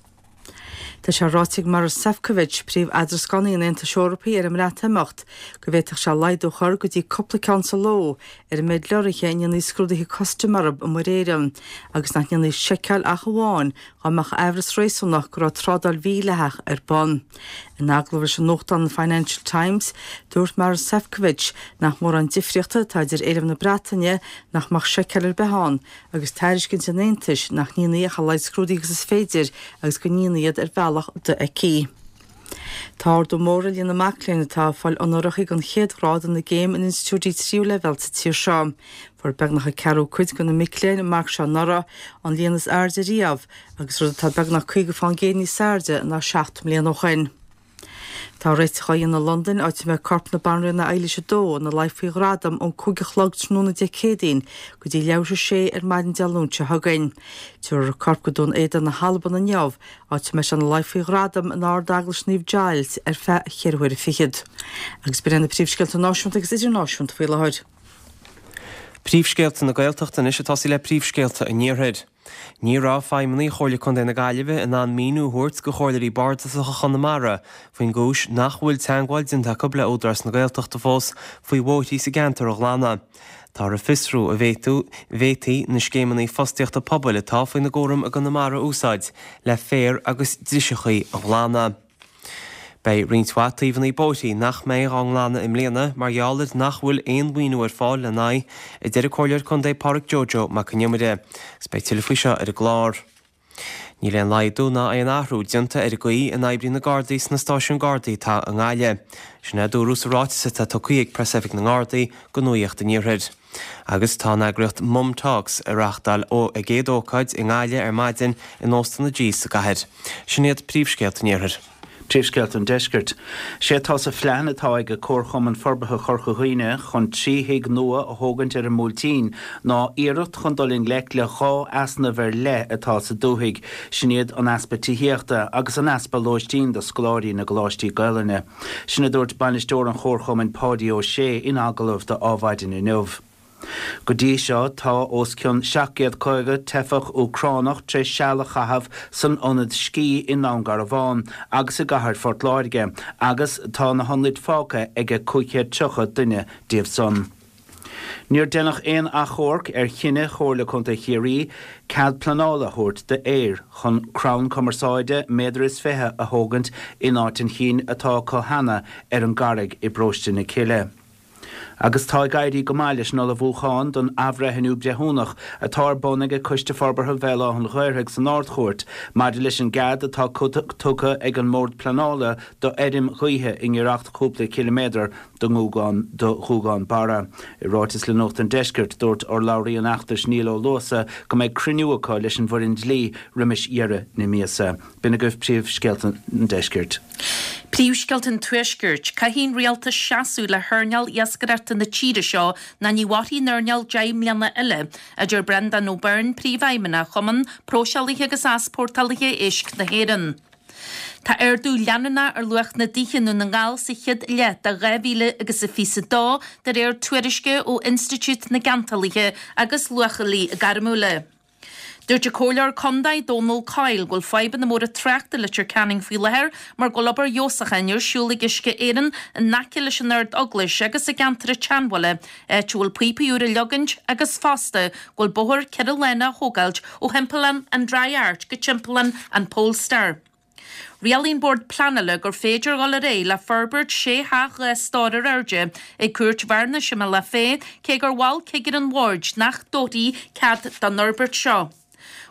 Speaker 2: Tá sé ráite ag Maros Sefcovic, príomh-eadrascánaí an Aontais Eorpaigh ar an mBreatimeacht, go bhféadfadh sé laghdú a chur go dtí cúpla ceann sa ló ar an méid leoraithe a ndéanfaí scrúduithe custaim orthu i Muir Éireann agus nach ndéanfaí seiceáil ach amháin dá mbeadh aimhreas réasúnach go raibh trádáil mhídhleathach ar bun. In agallamh leis an nuachtán Financial Times, dúirt Maros Sefcovic nach mórán difríochta atá idir éileamh na Breataine nach mbeadh seiceáil ar bith ann agus tairiscint an Aontais nach ndéanfaí ach a laghad scrúduithe agus is féidir agus go ndéanfaí iad ar bhealach dofheicthe. Tá ardú mór ar líon na mac léinn atá ag fáil onóracha den chéad ghrád ina gcéim in institiúidí tríú leibhéal sa tír seo. Fuair beagnach an ceathrú cuid de na mic léinn an marc seo anuraidh, an líon is airde riamh, agus rud atá beagnach caoga fán gcéad níos airde ná seacht mbliana ó shin. Tá réiteach á dhéanamh i Londain, áit a mbeidh corp na Banríona Eilís a Dó ina luí faoi ghradam ón cúig a chlog tráthnóna Dé Céadaoin go dtí leathuair tar éis a sé ar maidin Dé Luain seo chugainn. Tabharfar a corp go Dún Éideann na hAlban inniu, áit a mbeidh sé ina luí faoi ghradam in Ard-Eaglais Naomh Giles ar feadh cheithre huaire fichead. Agus b'in iad na príomhscéalta náisiúnta agus idirnáisiúnta faoi láthair.
Speaker 3: Príomhscéalta na Gaeltachta anois ag tosaí le príomhscéalta an Iarthair. Ní raibh feidhmeannaigh Chomhairle Contae na Gaillimhe in ann míniú a thabhairt do chomhairleoirí bardasacha Chonamara faoin gcúis nach bhfuil teagmháil déanta acu le Údarás na Gaeltachta fós faoi bhóithrí sa gceantar a ghlanadh. Táthar ag fiosrú an bhféadfaí na scéimeanna fostaíochta pobail atá faoina gcúram i gConamara a úsáid le féar agus driseachaí a ghlanadh. Beidh roinnt mhaith taobhanna bóithrí nach mbeidh á nglanadh i mbliana mar gheall ar nach bhfuil aon mhaoiniú ar fáil lena n-aghaidh, a deir an Comhairleoir Contae Pádraig Joe Joe Mac Con Iomaire. Agus beidh tuilleadh faoi seo ar an gclár. Níl aon laghdú ná aon athrú déanta ar an gcaoi a n-oibríonn na Gardaí sna stáisiúin Gardaí atá i nGaillimh. Sin é a dúradh sa ráiteas atá tugtha ag Preasoifig na nGardaí do Nuacht an Iarthair. Agus tá an eagraíocht Mum Talks ag reáchtáil a gcéad ócáid i nGaillimh ar maidin in Óstán na G sa gcathair. Sin iad príomhscéalta an Iarthair.
Speaker 4: Príomhscéalta an Deiscirt. Sé atá sa phlean atá ag Comharchumann Forbartha Chorca Dhuibhne chun trí thigh nua a thógaint ar an mBuailtín ná iarracht chun dul i ngleic le dhá easnamh ar leith atá sa dúthaigh, sin iad an easpa tithíochta agus an easpa lóistín do scoláirí na gcoláistí Gaelainne. Sin a dúirt bainisteoir an Chomharchumainn Páidí Ó Sé in agallamh do Adhmhaidin inniu. Go dtí seo tá os cionn seacht gcéad caoga teifeach Úcránach tar éis seal a chaitheamh san ionad scí i nDún Garbhán agus i gcathair Phort Láirge agus tá na hionaid fágtha ag cúig chéad tríocha duine díobh san. Níor deineadh aon achomharc ar chinneadh Chomhairle Contae Chiarraí cead pleanála a thabhairt d'Eir chun crann cumarsáide méadar is fiche a thógaint in áit an chinn atá acu cheana ar an gCarraig i bParóiste na Cille. Agus tá ag éirí go maith leis an ullmhúchán don athbhreithniú breithiúnach atá ar bun ag Coiste Forbartha Bhéal Átha an Ghaorthaidh san Ard-Chúirt maidir leis an gcead atá tugtha ag an mBord Pleanála do fheirm ghaoithe i ngiorracht cúpla ciliméadar do Ghuagán Barra. I ráiteas le Nuacht an Deiscirt, dúirt urlabhraí an fheachtais Niall Ó Luasa go mbeidh cruinniú acu leis an bhfoireann dlí roimis dheireadh na míosa. B'in agaibh príomhscéalta an Deiscirt.
Speaker 5: Príomhscéalta an Tuaiscirt, Caithfidh an rialtas seasamh le hearnáil iascaireachta na tíre seo ná ní mhairfidh an earnáil deich mbliana eile, a deir Breandán Ó Beirn, Príomhfheidhmeannach Chumann Próiseálaithe agus Easpórtálaithe Éisc na hÉireann. Tá ardú leanúnach ar luach na dtithe i nDún na nGall sa chéad leath de dhá mhíle agus a fiche a dó, de réir tuairisce ó Institiúid na gCeantálaithe agus Luachálaithe Gairmiúla. Dúirt an Comhairleoir Contae Dónal Coyle go bhfuil fadhbanna móra tráchta i Leitir Ceanainn faoi láthair mar go bhfuil obair fheabhsúcháin ar siúl ag Uisce Éireann in aice leis an Ard-Eaglais agus i gceantar an tSeanbhaile, áit a bhfuil píopaí úra a leagaint agus fosta go bhfuil bóthar ceithre lána á thógáilt ó thimpeallán an Dry Arch go timpeallán an Polestar. Rialaigh an Bord Pleanála gur féidir dhul ar aghaidh le forbairt sé theach dhá stór ar airde ag Cúirt Bhearnais i mBealach Féich, cé gur mhol cigire an bhoird nach dtabharfaí cead don fhorbairt seo.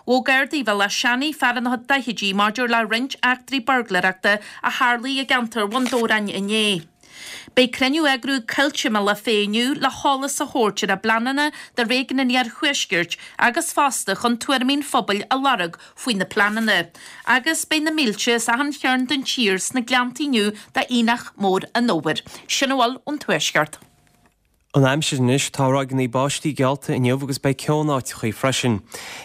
Speaker 5: Ghabh Gardaí Bhéal Átha Seanaidh fear ina chuid daichidí maidir le roinnt eachtraí buirgléireachta a tharlaigh i gceantar Bhun Dobhráin inné. Beidh cruinniú á eagrú ag Coillte i mBealach Féich inniu le heolas a thabhairt ar a bpleananna do réigiún an Iarthuaiscirt agus fosta chun tuairimí an phobail a lorg faoi na pleananna. Agus beidh na mílte as achan chearn den tír sna Gleanntaí inniu d'Aonach Mór an Fhómhair. Sin a bhfuil ón Tuaisceart.
Speaker 3: An aimsir anois, tá ráigeanna báistí geallta inniu agus beidh ceo in áiteachaí freisin.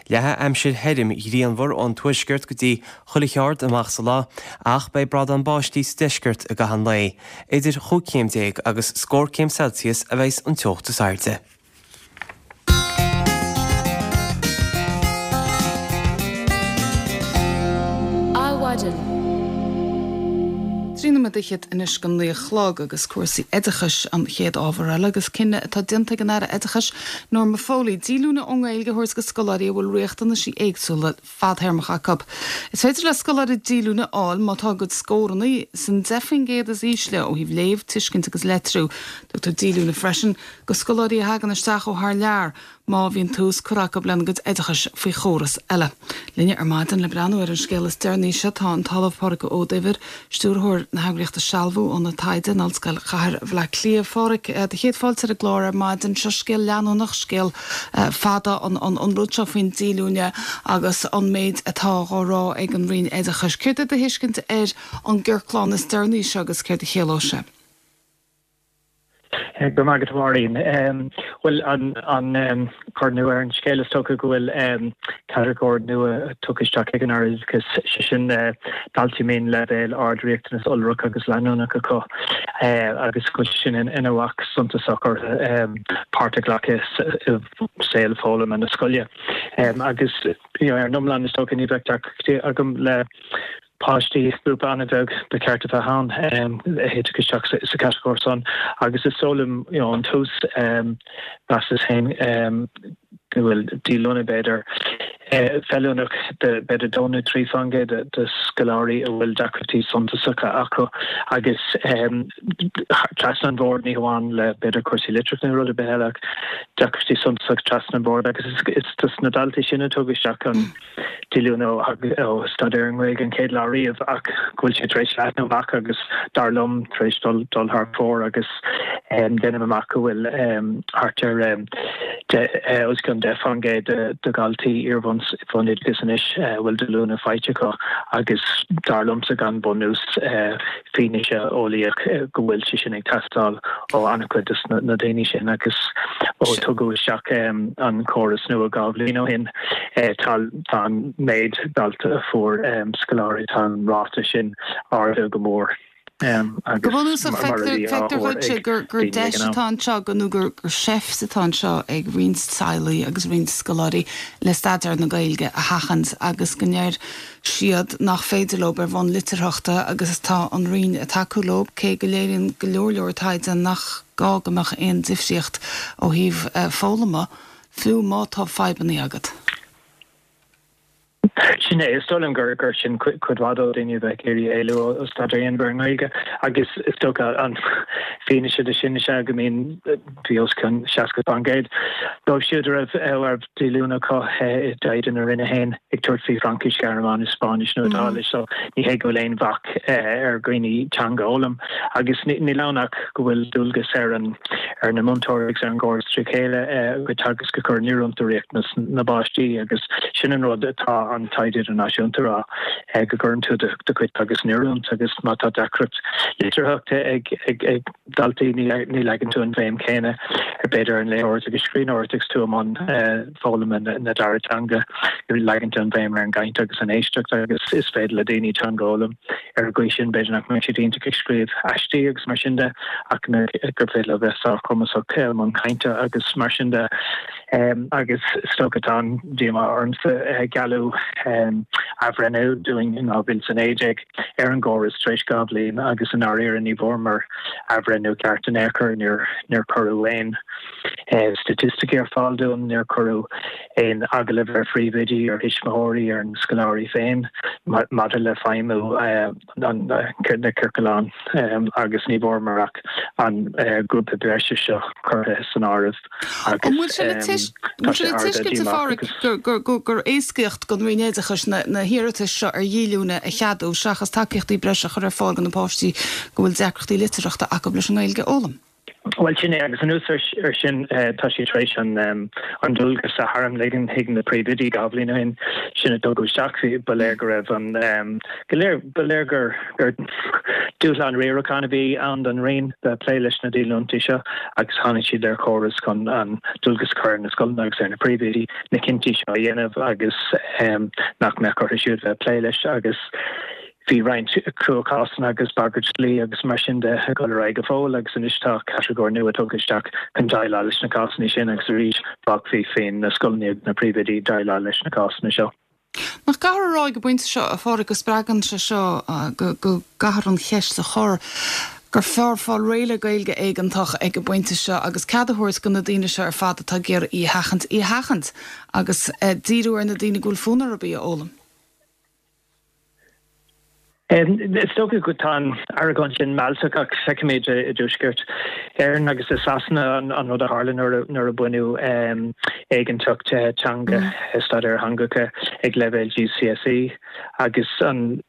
Speaker 3: Leathfaidh aimsir thirim ghrianmhar ón tuaisceart go dtí chuile cheard amach sa lá, ach beidh bradán báistí sa deisceart i gcaitheamh an lae. Idir chúig chéim déag agus scór céim Celsius a bheas an teocht is airde.
Speaker 1: Adhmhaidin. Trí nóiméad fhichead anois go naoi a chlog agus cúrsaí oideachais an chéad ábhar eile agus cinneadh atá déanta ag an Aire Oideachais Norma Foley díolúine ón nGaeilge a thabhairt go scoláirí a bhfuil riachtanaisí éagsúla fadthéarmacha acu. Is féidir le scoláirí díolúine a fháil má tá a gcuid scóranna san deich faoin gcéad is ísle ó thaobh léamh, tuiscint agus leitriú. Tugtar díolúine freisin go scoláirí a thagann isteach ó thar lear. má bhíonn tús curtha acu lena gcuid oideachais faoi chóras eile. Linne ar maidin le breathnú ar an scéal is deireanaí seo tá an tOllamh Pádraig Ó Duibhir, Stiúrthóir na heagraíochta Sealbhú, Ionad Taighde in Ollscoil Chathair Bhaile Átha Cliath. Phádraig, do chéad fáilte ar an gclár ar maidin. Seo scéal leanúnach, scéal fada an an rud seo faoin díolúine agus an méid atá á rá ag an Roinn Oideachais. Céard é do thuiscint ar an gciorclán is deireanaí seo agus céard a chiallóidh sé?
Speaker 9: Go raibh maith agat, a Mháirín. Bhuel, an cur nua ar an scéal is dócha go bhfuil catagóir nua tugtha isteach ag an Aire Oideachais, sé sin daltaí a mbíonn leibhéal ard riachtanas iolrach agus leanúnach acu agus go bhfuil sé sin ina bhac suntasach orthu páirt a ghlacadh i saol foghlama na scoile. Agus ar an iomlán is dócha ní bheadh deacrachtaí agam le páistí, grúpa an-bheag ba cheart a bheith ann a thitfeadh isteach sa chatagóir san agus is dóigh liom you know ón tús mheasas féin go bhfuil díolúine b'fhéidir feiliúnach do b'fhéidir dó nó trí faoin gcéad de scoláirí a bhfuil deacrachtaí suntasacha acu agus trasna an bhord ní hamháin le b'fhéidir cúrsaí litríochta nó rud ar bith eile ach deacrachtaí suntasacha trasna an bhord agus is dos na daltaí sin a tugadh isteach an díolúine ó staidéar ar an nGaeilge an chéad lá riamh ach go bhfuil sé tar éis leathnú amach agus dar liom tar éis dul dul thar fóir agus déanaim amach go bhfuil thart ar os cionn deich faoin gcéad de dhaltaí iarbhunscoile bhunoideachais anois a bhfuil díolúine faighte acu agus dar liomsa gan bunús fianaise eolaíoch go bhfuil sé sin ag teastáil ó an-chuid de na daoine sin agus ó tugadh isteach an córas nua dhá bhliain ó shin tá an méid dalta a fuair scoláirí tá an ráta sin ardaithe go mór.
Speaker 1: Go bunúsach, feictear dhuitse gur deis atá anseo nó gur seift atá anseo ag roinnt teaghlaigh agus roinnt scoláirí le staidéar na Gaeilge a sheachaint agus go ndeir siad nach féidir leo ar bhonn litearthachta agus tá an Roinn ag tacú leo, cé go léiríonn go leor leor taighde nach gá go mbeadh aon difríocht ó thaobh foghlama, fiú má tá fadhbanna agat.
Speaker 9: Sin é, is dóigh liom gur gur sin cuid mhaith de dhaoine a bheith ag iarraidh éalú ó staidéar a dhéanamh ar an nGaeilge agus is dócha an fianaise de sin is ea go mbíonn bhí os cionn seasca faoin gcéad dóibh siúd a raibh a raibh díolúine acu i dtaighde na Roinne féin ag tabhairt faoi Fraincis, Gearmáinis, Spáinnis nó Iodáilis so ní hé go bhfuil aon bhac ar dhaoine teanga a fhoghlaim agus níl ann ach go bhfuil dualgas ar an ar na múinteoirí agus ar an gcóras trí chéile a gcuid teagasc a chur in oiriúint do riachtanas na bpáistí agus sin an rud atá an taighde idirnáisiúnta a rá go gcuireann tú do chuid teagasc in oiriúint agus má tá deacracht litearthachta ag ag ag daltaí ní ní leagann tú an bhéim chéanna ar b'fhéidir ar an léitheoireacht agus scríbhneoireacht agus tú i mbun foghlama na dara teanga leagann tú an bhéim ar an gcaint agus an éisteacht agus is féidir le daoine teanga a fhoghlaim ar an gcaoi sin b'fhéidir nach mbeidh siad iontach ag scríobh aistí agus mar sin de ach gur féidir leo bheith sárchumasach i mbun cainte agus mar sin de. Agus is dócha tá an-díomá ormsa gealladh athbhreithniú dúinn in dhá mhíle is a naoi déag ar an gcóras tar éis dhá bhliain agus i ndáiríre ní bhfuaireamar athbhreithniú ceart in aon chor, níor níor cuireadh aon staitisticí ar fáil dúinn, níor cuireadh aon agallamh ar phríomhoidí, ar thuismitheoirí, ar na scoláirí féin maidir le feidhmiú na ciorclán agus ní bhfuaireamar ach an grúpa breise seo curtha san áireamh
Speaker 1: An bhfuil sé le tá sé le tuiscint, a Pháraic, gur éascaíocht don Roinn Oideachais na hiarratais seo ar dhíolúine a cheadú seachas tacaíochtaí breise a chur ar fáil do na páistí go bhfuil deacrachtaí litearthachta acu leis an nGaeilge a fhoghlaim?
Speaker 9: Bhuel, sin é, agus anuas ar sin, tá siad tar éis an dualgas a tharmligean chuig na príomhoidí dhá bhliain ó shin, sin a tugadh isteach. Bhí, ba léir go raibh an, go léir, ba léir gur, gur dúshlán riaracháin a bhí ann don Roinn bheith ag plé leis na díolúintí seo agus tháinig siad ar chóras chun an dualgas a chur ar na scoileanna agus ar na príomhoidí na cinntí seo a dhéanamh agus nach mbeadh orthu siúd bheith ag plé leis agus Bhí roinnt cruachásanna agus bagairt dlí agus mar sin de ag dul ar aghaidh go fóill agus anois tá catagóir nua tugtha isteach chun déileáil leis na cásanna sin agus arís fágfaí faoi na scoileanna agus na príomhoidí déileáil leis na cásanna seo.
Speaker 1: Nach gcaithfear a rá ag an bpointe seo, a Pháraic, go spreagann sé seo go gcaithfear an cheist a chur gur fearr fáil réidh le Gaeilge éigeantach ag an bpointe seo agus cead a thabhairt do na daoine seo ar fad atá ag iarraidh í a sheachaint, í a sheachaint agus díriú ar na daoine go bhfuil fonn orthu í a fhoghlaim.
Speaker 9: Is dócha go tá an argóint sin mealltach ach feicimid i dTuaisceart Éireann agus i Sasana an rud a tharla nuair a baineadh éigeantacht teanga, staidéar theangacha ag leibhéal GCSE agus an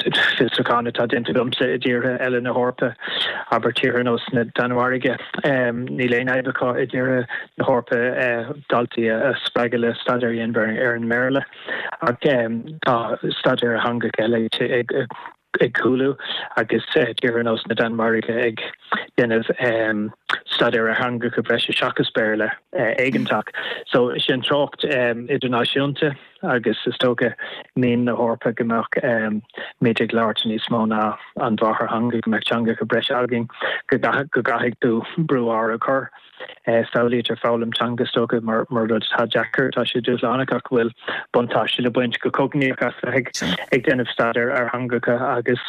Speaker 9: fiosrúchán atá déanta agamsa i dtíortha eile na hEorpa, abair tíortha ar nós na Danmhairge, níl aon fhadhb acu i dtíortha na hEorpa daltaí a spreagadh le staidéar a dhéanamh ar an mBéarla. Ach tá staidéar ar theangacha eile ag cúlú agus tíortha ar nós na Danmhairge ag déanamh staidéar ar theangacha breise seachas Béarla éigeantach. So sin treocht idirnáisiúnta agus is dócha mian na hEorpa go mbeadh muid ag labhairt níos mó ná an mháthairtheanga, go mbeadh teangacha breise againn, go gcaithfidh tú brú orthu a chur. Samhlaítear foghlaim teanga, is dócha, mar rud atá deacair, tá sé dúshlánach ach go bhfuil buntáiste le baint go cognaíoch as bheith ag déanamh staidéir ar theangacha agus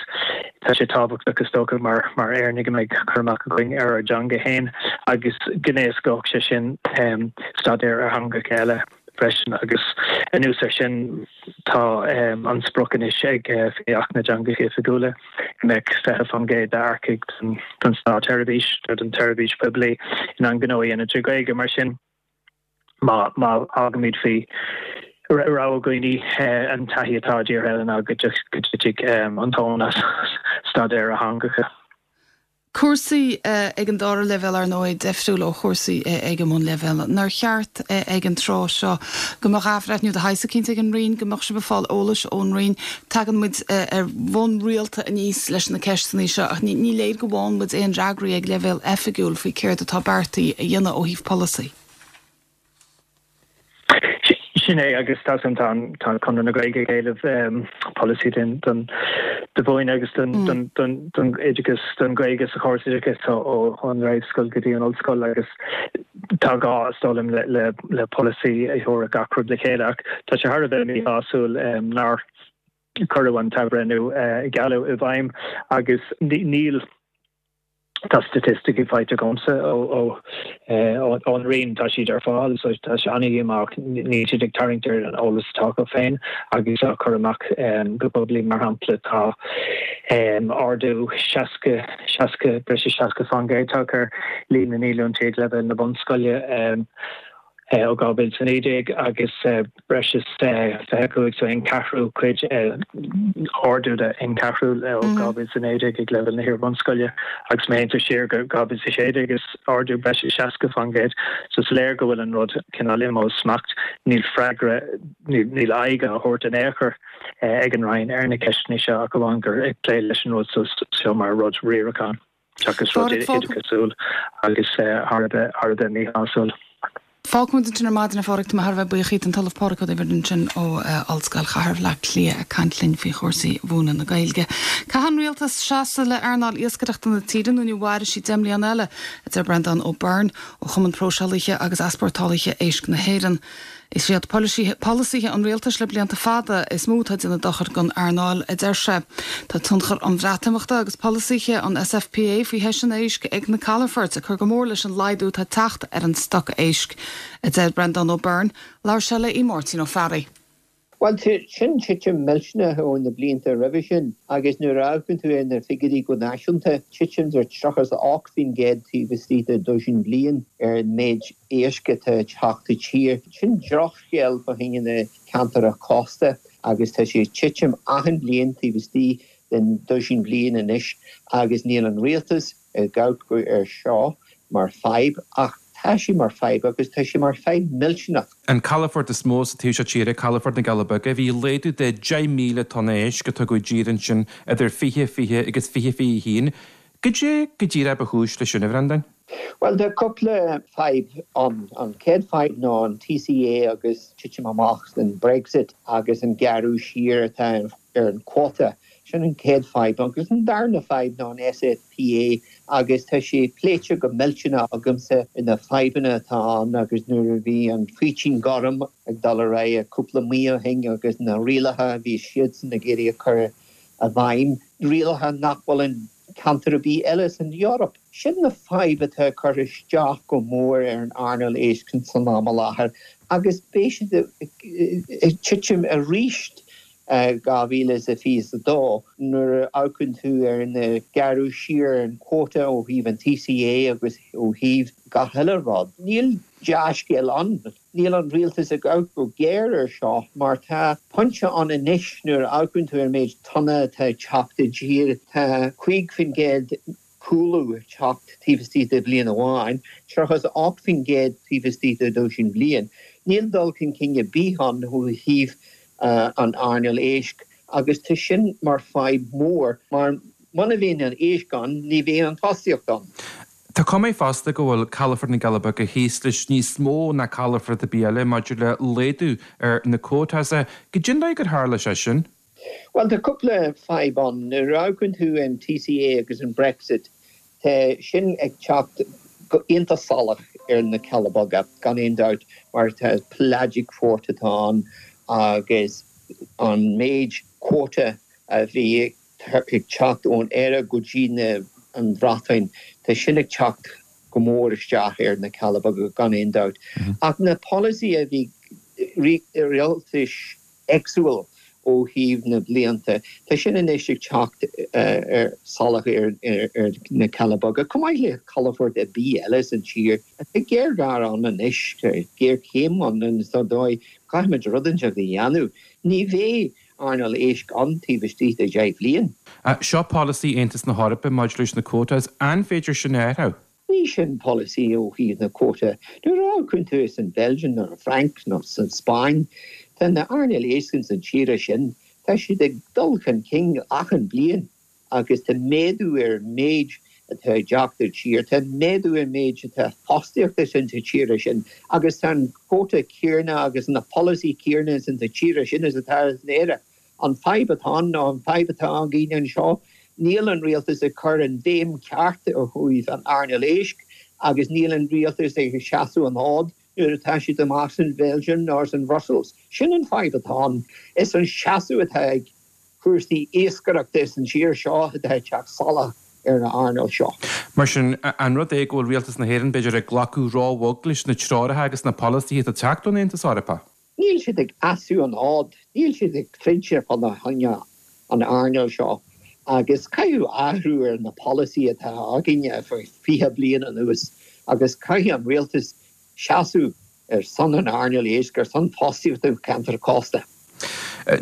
Speaker 9: tá sé tábhachtach, is dócha, mar Éireannaigh go mbeidh cur amach againn ar ár dteanga féin agus go n-éascódh sé sin staidéar ar theangacha eile. freisin agus anuas air sin tá an sprioc anois ag faoi Acht na dTeangacha Oifigiúla go mbeadh fiche faoin gcéad d'earcaigh don státsheirbhís nó don tseirbhís phoiblí in ann gnó a dhéanamh trí Ghaeilge. Mar sin má fhágaimid faoi rogha dhaoine an taithí atá i dtíortha eile ná go dtitfidh an tóin as staidéar ar theangacha.
Speaker 1: Cúrsaí ag an dara leibhéal ar ndóigh difriúil ó chúrsaí ag an mbunleibhéal. Nár cheart ag an tráth seo go mbeadh athbhreithniú de shaghas eicínt ag an Roinn, go mbeadh sibh ag fáil eolais ón Roinn. Tagann muid ar bhonn rialta aníos leis na ceisteanna seo ach ní léir go bhfaigheann muid aon fhreagraí ag leibhéal oifigiúil faoi céard atá beartaithe a dhéanamh ó thaobh polasaí.
Speaker 9: Sin é agus tá tá Conradh na Gaeilge ag éileamh polasaí den don do mhúineadh agus don don don don oideachas don Ghaeilge sa chóras oideachais ó ón réamhscoil go dtí an ollscoil agus tá gá is dóigh liom le le le polasaí a thabharfadh gach rud le chéile ach tá sé thar a bheith míshásúil nár cuireadh an t-athbhreithniú a gealladh i bhfeidhm agus níl Tá staitisticí faighte agamsa ón Roinn, tá siad ar fáil, so tá sé an-dhíomách, níl siad ag tarraingt ar an eolas atá acu féin agus á chur amach go poiblí. Mar shampla, tá ardú seasca, seasca, breis is seasca faoin gcéad tagtha ar líon na ndíolúintí ag leibhéal na bunscoile. ó dhá mhíle is a naoi déag agus breis is fiche cúig so aon cheathrú cuid ardú de aon cheathrú ó dhá mhíle is a naoi déag ag leibhéal na hiar-bhunscoile agus má théann tú siar go dhá mhíle is a sé déag is ardú breis is seasca faoin gcéad. So is léir go bhfuil an rud cineál imithe ó smacht. Níl freagra, níl aghaidh á thabhairt in aon chor ag an Roinn ar na ceisteanna seo ach amháin gur ag plé leis an rud seo mar rud riaracháin. Seachas rud oideachasúil agus thar a bheith thar a bheith míshásúil.
Speaker 1: Fágfaidh muid ansin ar maidin a Phádraig, tá mé thar a bheith buíoch díot, an tOllamh Pádraig Ó Duibhir ansin ó Ollscoil Chathair Bhaile Átha Cliath ag caint linn faoi chúrsaí mhúineadh na Gaeilge. Caithfidh an Rialtas seasamh le earnáil iascaireachta na tíre nó ní mhairfidh sí deich mbliana eile, a deir Breandán Ó Beirn ó Chumann Próiseálaithe agus Easpórtálaithe Éisc na hÉireann. Is iad polasaithe an rialtais le blianta fada is mó atá ag déanamh dochair don earnáil, a deir sé. Tá tionchar an Bhreatimeachta agus polasaithe an SFPA faoi thoiseanna éisc ag na calafoirt ag cur go mór leis an laghdú atá ag teacht ar an stoc éisc, a deir Breandán Ó Beirn. Labhair sé le Máirtín Ó Fearraigh.
Speaker 10: Bhuel, sin titim millteanach ó na blianta roimhe sin agus nuair a amharcann tú ar na figiúirí go náisiúnta, titim de tríocha is a ocht faoin gcéad taobh istigh de dosaen bliain ar an méid éisc atá ag teacht i dtír. Sin drochscéal fá choinne na ceantair cósta agus tá sé ag titim achan bhliain taobh istigh den dosaen bliain anois agus níl an rialtas ag amharc ar seo mar fadhb ach tá sé mar fadhb agus tá sé mar fadhb millteanach.
Speaker 11: An calafort is mó sa taobh seo tíre, calafort na gCealla Beaga, bhí laghdú de deich míle tonna éisc a tugadh i dtír ansin idir fiche fiche agus fiche fiche a haon. Goidé go díreach ba chúis leis sin, a Bhreandáin?
Speaker 10: Bhuel, tá cúpla fadhb ann. An chéad fadhb ná an T C A agus titim amach den Brexit agus an gearradh siar atá ar an quota. Sin an chéad fadhb. Agus an darna fadhb ná an S F P A agus tá sé pléite go millteanach agamsa na fadhbanna atá ann agus nuair a bhí an Faoitín Gorm ag dul ar aghaidh cúpla mí ó shin agus na rialacha a bhí siadsan ag iarraidh a chur i bhfeidhm, rialacha nach bhfuil in ceantar ar bith eile san Eoraip. Sin na fadhb atá curtha isteach go mór ar an earnáil éisc san am i láthair agus beidh siad ag titim arís dhá mhíle is a fiche a dó nuair a amharcann tú ar na gearradh siar an quota ó thaobh an T C A agus ó thaobh gach uile rud. Níl dea-scéal ann. Níl an rialtas ag amharc go géar ar seo mar tá pointe ann anois nuair a amharcann tú ar méid tonna atá ag teacht i dtír tá cúig faoin gcéad cúlú ag teacht taobh istigh de bhliain amháin, tríocha is a ocht faoin gcéad taobh istigh de dosaen bliain. Níl dul chun cinn ar bith ann ó thaobh an earnáil éisc agus tá sin mar fadhb mór mar muna bhíonn an éisc ann ní bhíonn an fostaíocht ann.
Speaker 11: Tá cuma fosta go bhfuil calafort na gCealla Beaga thíos leis níos mó ná calafort ar bith eile maidir le laghdú ar na quotas. Goidé an dóigh gur tharla sé sin?
Speaker 10: Well tá cúpla fadhb ann. Nuair a amharcann tú an T C A agus an Brexit, tá sin ag teacht go iontach salach ar na Cealla Beaga gan aon dabht mar tá pelagic quota atá ann agus an méid quota a bhí ag teacht ón Éire go dtí na an Bhreatain, tá sin ag teacht go mór isteach ar na Cealla Beaga gan aon dabht. Ach na polasaí a bhí rialtais éagsúil ó thaobh na blianta, tá sin anois ag teacht ar salach ar ar na Cealla Beaga, chomh maith le calafort ar bith eile san tír. Tá géarghá ann anois, géarchéim ann sa dóigh caithfimid rud inteacht a dhéanamh. Ní bheidh earnáil éisc ann taobh istigh de dheich bhliain.
Speaker 11: Seo polasaí Aontas na hEorpa maidir leis na quotas, an féidir sin a athrú?
Speaker 10: Ní sin polasaí ó thaobh na quota. Nuair a amharcann tú san Belgium nó an Fhrainc nó san Spáinn, tá na earnáil éisc ins an tíre sin, tá siad ag dul chun cinn achan bliain agus tá méadú ar an méid atá ag teacht i dtír, tá méadú ar an méid atá fostaíochta sin sa tíre sin agus tá an quota céanna agus na polasaí céanna sin sa tíre sin is atá in Éire. An fadhb atá ann nó an fadhb atá againn anseo, níl an rialtas ag cur an bhéim ceart ó thaobh an earnáil éisc agus níl an rialtas ag seasamh an fhóid nuair atá siad amach san Bheilgium nó san Brussels. Sin an fadhb atá ann. Is an seasamh atá ag cúrsaí iascaireachta san tír seo atá ag teacht salach ar an earnáil seo.
Speaker 11: Mar sin, an rud é go bhfuil rialtas na hÉireann b'fhéidir ag glacadh róbhog leis na treoracha agus na polasaithe atá ag teacht ón Aontas Eorpach?
Speaker 10: Níl siad ag seasamh an fhóid, níl siad ag troid fá choinne an earnáil seo agus caithfidh athrú ar na polasaí atá againne faoi fiche bliain anuas agus caithfidh an rialtas seasamh ar son an earnáil éisc, ar son fostaíochta ceantar cósta.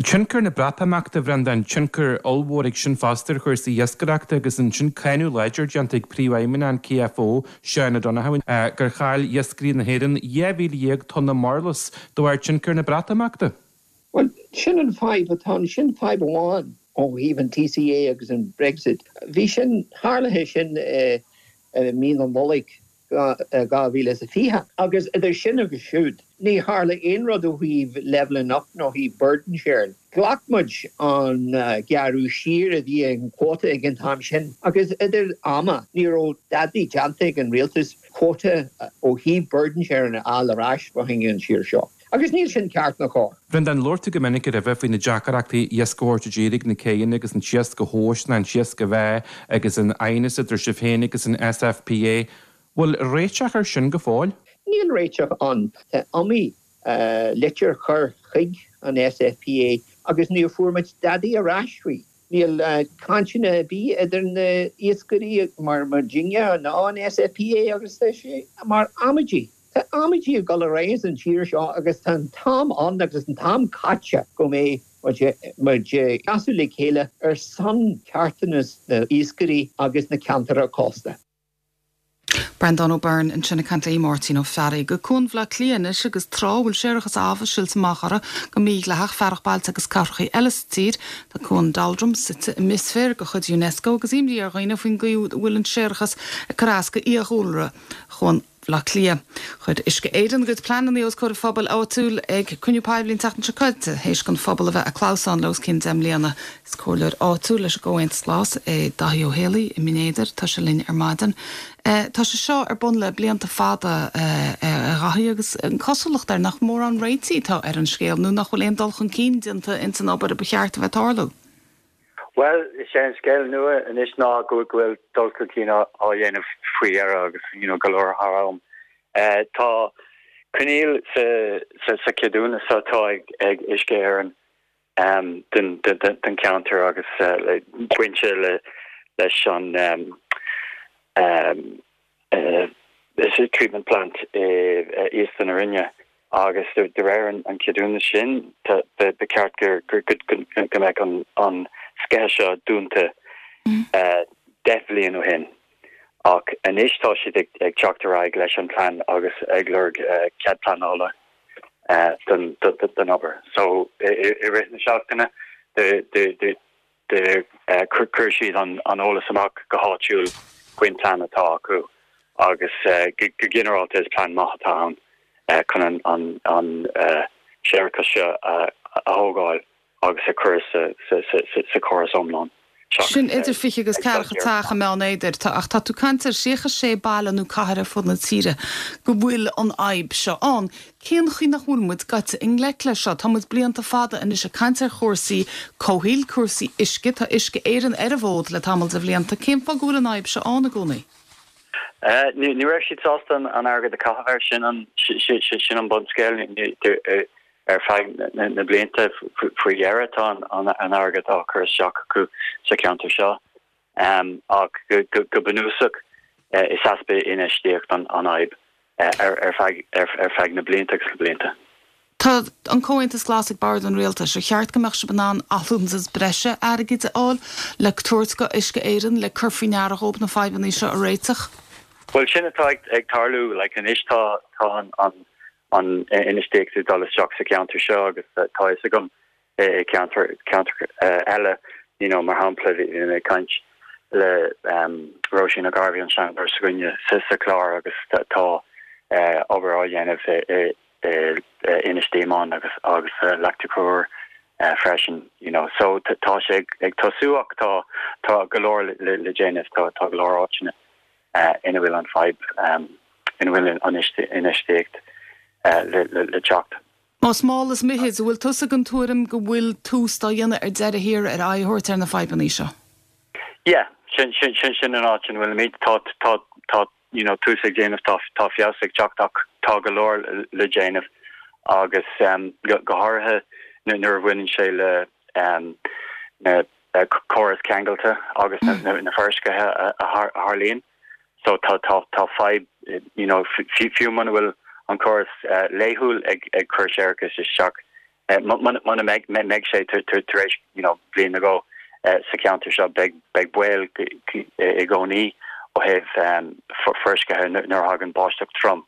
Speaker 11: Tionchar na Breatimeachta, a Bhreandáin, tionchar ollmhór ag sin fosta ar chúrsaí iascaireachta agus ansin cáineadh láidir déanta ag Príomhfheidhmeannach an KFO, Seán O'Donoghue, gur chaill iascairí na hÉireann dhá mhíle dhéag tonna murlas de bharr tionchar na Breatimeachta.
Speaker 10: Bhuel, sin an fadhb atá ann, sin fadhb amháin ó thaobh an TCA agus an Brexit. Bhí sin, tharlaithe sin i mí na Nollag dhá mhíle is a fiche. Agus idir sin agus siúd, ní tharla aon rud ó thaobh levelling up nó ó thaobh burden sharing. Ghlac muid an gearradh siar a bhí an quota ag an t-am sin agus idir ama ní raibh dadaí déanta ag an rialtas quota ó thaobh burden sharing a fháil ar ais fá choinne an tír seo. Agus níl sin ceart ná cóir.
Speaker 11: Bhreandáin, labhair tú go minic roimhe faoi na deacrachtaí iasc a thabhairt i dtír ag na céanna agus an t-iasc a thomhas ná an t-iasc a mheá agus an aighneas idir sibh féin agus an SFPA. Bhfuil réiteach ar sin go fóill?
Speaker 10: Níl réiteach ann. Tá iomaí litir curtha chuig an SFPA agus níor fuair muid dadaí ar ais faoi. Níl cainteanna ar bith idir na iascairí mar muidinne ná an SFPA agus tá sé mar amaidí. Tá amaidí ag dul ar aghaidh san tír seo agus tá an t-am ann agus an t-am caite go mbeidh muid ag seasamh le chéile ar son ceartanas na iascairí agus na ceantair cósta.
Speaker 1: Breandán Ó Beirn ansin ag caint le Máirtín Ó Fearraigh. Go Cuan Bhaile Átha Cliath anois agus trá a bhfuil séarachas ábha silte amach uirthi go mídhleathach fearacht bailte agus cathracha eile sa tír. Tá Cuan Daldrum suite i mbithsféar de chuid UNESCO agus imní ar dhaoine faoin gcaoi a bhfuil an séarachas ag cur as do fhiadhúlra Chuan Bhaile Átha Cliath. Chuir Uisce Éireann a gcuid pleananna os comhair an phobail áitiúil ag cruinniú poiblí an tseachtain seo caite, théis don phobal a bheith ag clamhsán le os cionn deich mbliana. Is comhairleoir áitiúil leis an gComhaontas Glas é Daithí Ó Héalaí i mBinn Éadair. Tá sé linn ar maidin. Tá sé seo ar bun le blianta fada a Dhaithí agus an cosúlacht air nach mórán réitigh atá ar an scéal nó nach bhfuil aon dul chun cinn déanta ins an obair a ba cheart a bheith ag tarlú.
Speaker 12: Bhuel, is é an scéal nua anois ná go bhfuil dul chun cinn á dhéanamh faoi dheireadh agus you know go leor thar am. Tá coinníoll sa cheadúnas atá ag Uisce Éireann don cheantar agus bainte leis an treatment plant i Iosta na Rinne. Agus de réir an cheadúnas sin, ba cheart go mbeadh an sceitheadh seo dúnta deich bhliain ó shin. Ach anois tá siad ag teacht ar aghaidh leis an plean agus ag lorg cead pleanála don obair. So i rith na seachtaine Chuir siad an eolas amach go háitiúil faoin plean atá acu agus go ginearálta is plean maith atá ann chun an séarachas seo a thógáil agus a chur sa chóras iomlán.
Speaker 1: Sin idir fiche agus ceathracha teach i mBeann Éadair, ach tá tú ag caint ar thríocha sé baile nó cathair ar fud na tíre go bhfuil an fhadhb seo ann. Cén chaoi nach bhfuil muid gaite i ngleic leis seo? Tá muid blianta fada anois ag caint ar chúrsaí comhshaoil, cúrsaí uisce, tá Uisce Éireann ar an bhfód le tamall de bhlianta. Cén fáth go bhfuil an fhadhb seo ann i gcónaí?
Speaker 12: Ní raibh siad sásta an airgead a chaitheamh air, sin an sin an bunscéal. Ar feadh na blianta faoi dheireadh tá an airgead á chur isteach acu sa cheantar seo ach go bunúsach is easpa infheistíocht an fhadhb ar feadh na blianta agus na blianta.
Speaker 1: Tá an Comhaontas Glas ag bord an rialtais ar cheart go mbeadh sibh in ann allúntas breise airgid a fháil le tabhairt go Uisce Éireann le cur faoi ndeara dhóibh na fadhbanna seo a réiteach.
Speaker 12: Bhuel sin atá ag tarlú like anois tá tá an an an infheistíocht ag dul isteach sa cheantar seo agus tá fhios agam i ceantar ceantar eile you know mar shampla bhí mé ag caint le um Róisín O'Garvey an seanadóir s'againne sa sa chlár agus tá obair á dhéanamh i Inis Díomáin agus agus Leacht Chonchúir freisin you know so tá sé ag tosú ach tá tá go leor le le déanamh tá tá go leor áiteanna ina bhfuil an fadhb ina bhfuil an infheistíocht le le le teacht.
Speaker 1: Más mall is mithid, bhfuil tusa den tuairim go bhfuil tús á dhéanamh ar deireadh thiar ar aghaidh a thabhairt ar na fadhbanna seo?
Speaker 12: Yeah, sin sin sin sin an áit ina bhfuilimid tá tá tá you know tús ag déanamh tá tá feabhas ag teacht ach tá go leor le déanamh agus um, go, go háirithe nuair a bhaineann sé le um, na uh, córas ceangailte agus na, na, na forsceithe a, a tharlaíonn. So tá tá tá fadhb you know fiú muna bhfuil an córas uh, laethúil ag ag cur séarachas isteach uh, muna mbeidh mbeidh sé tar éis you know bliain ago uh, sa cheantar seo beidh beidh baol i gcónaí ó thaobh um, forsceithe nuair a thagann báisteach trom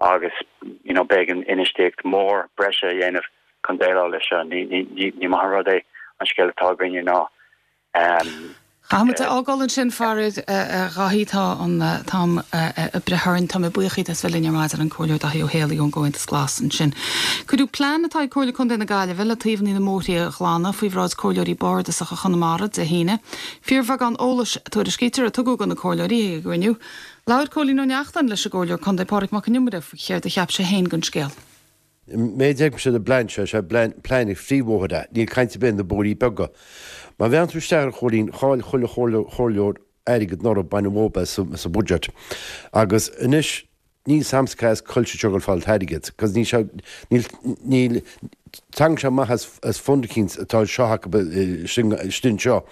Speaker 12: agus you know beidh an infheistíocht mór breise a dhéanamh chun déileáil leis seo ní ní ní maith rud é an scéal atá againne ná um,
Speaker 1: Caithfimid a fhágáil ansin faraor a Dhaithí tá an t-am ag breith orainn tá mé buíoch díot as bheith linn ar maidin an Comhairleoir Daithí Ó Héalaí ón gComhaontas Glas ansin. Cuireadh plean atá ag Comhairle Contae na Gaillimhe le taobhanna na mbóithre a ghlanadh faoi bhráid comhairleoirí bardasacha Chonamara Dé hAoine. Fíorbheagán eolais tuairiscítear a tugadh do na comhairleoirí ag an gcruinniú. Labhair Cóilín Ó Neachtain leis an gComhairleoir Contae Pádraig Mac Con Iomaire faoi chéard a cheap sé féin den scéal.
Speaker 13: Méid sé de plean seo sé plean phríomhbhóithre, níl caint ar bith na bóithrí beaga. Má bhean tú isteach ar chóilín chaill chuile chomhairleoir airgead anuraidh baineadh uathu sa budget. Agus anois níl 's a'msa cá as cá bhfuil siad ag fáil an t-airgead, cos níl sé níl níl tagann sé amach as as fund eicínt atá seo acu sin seo.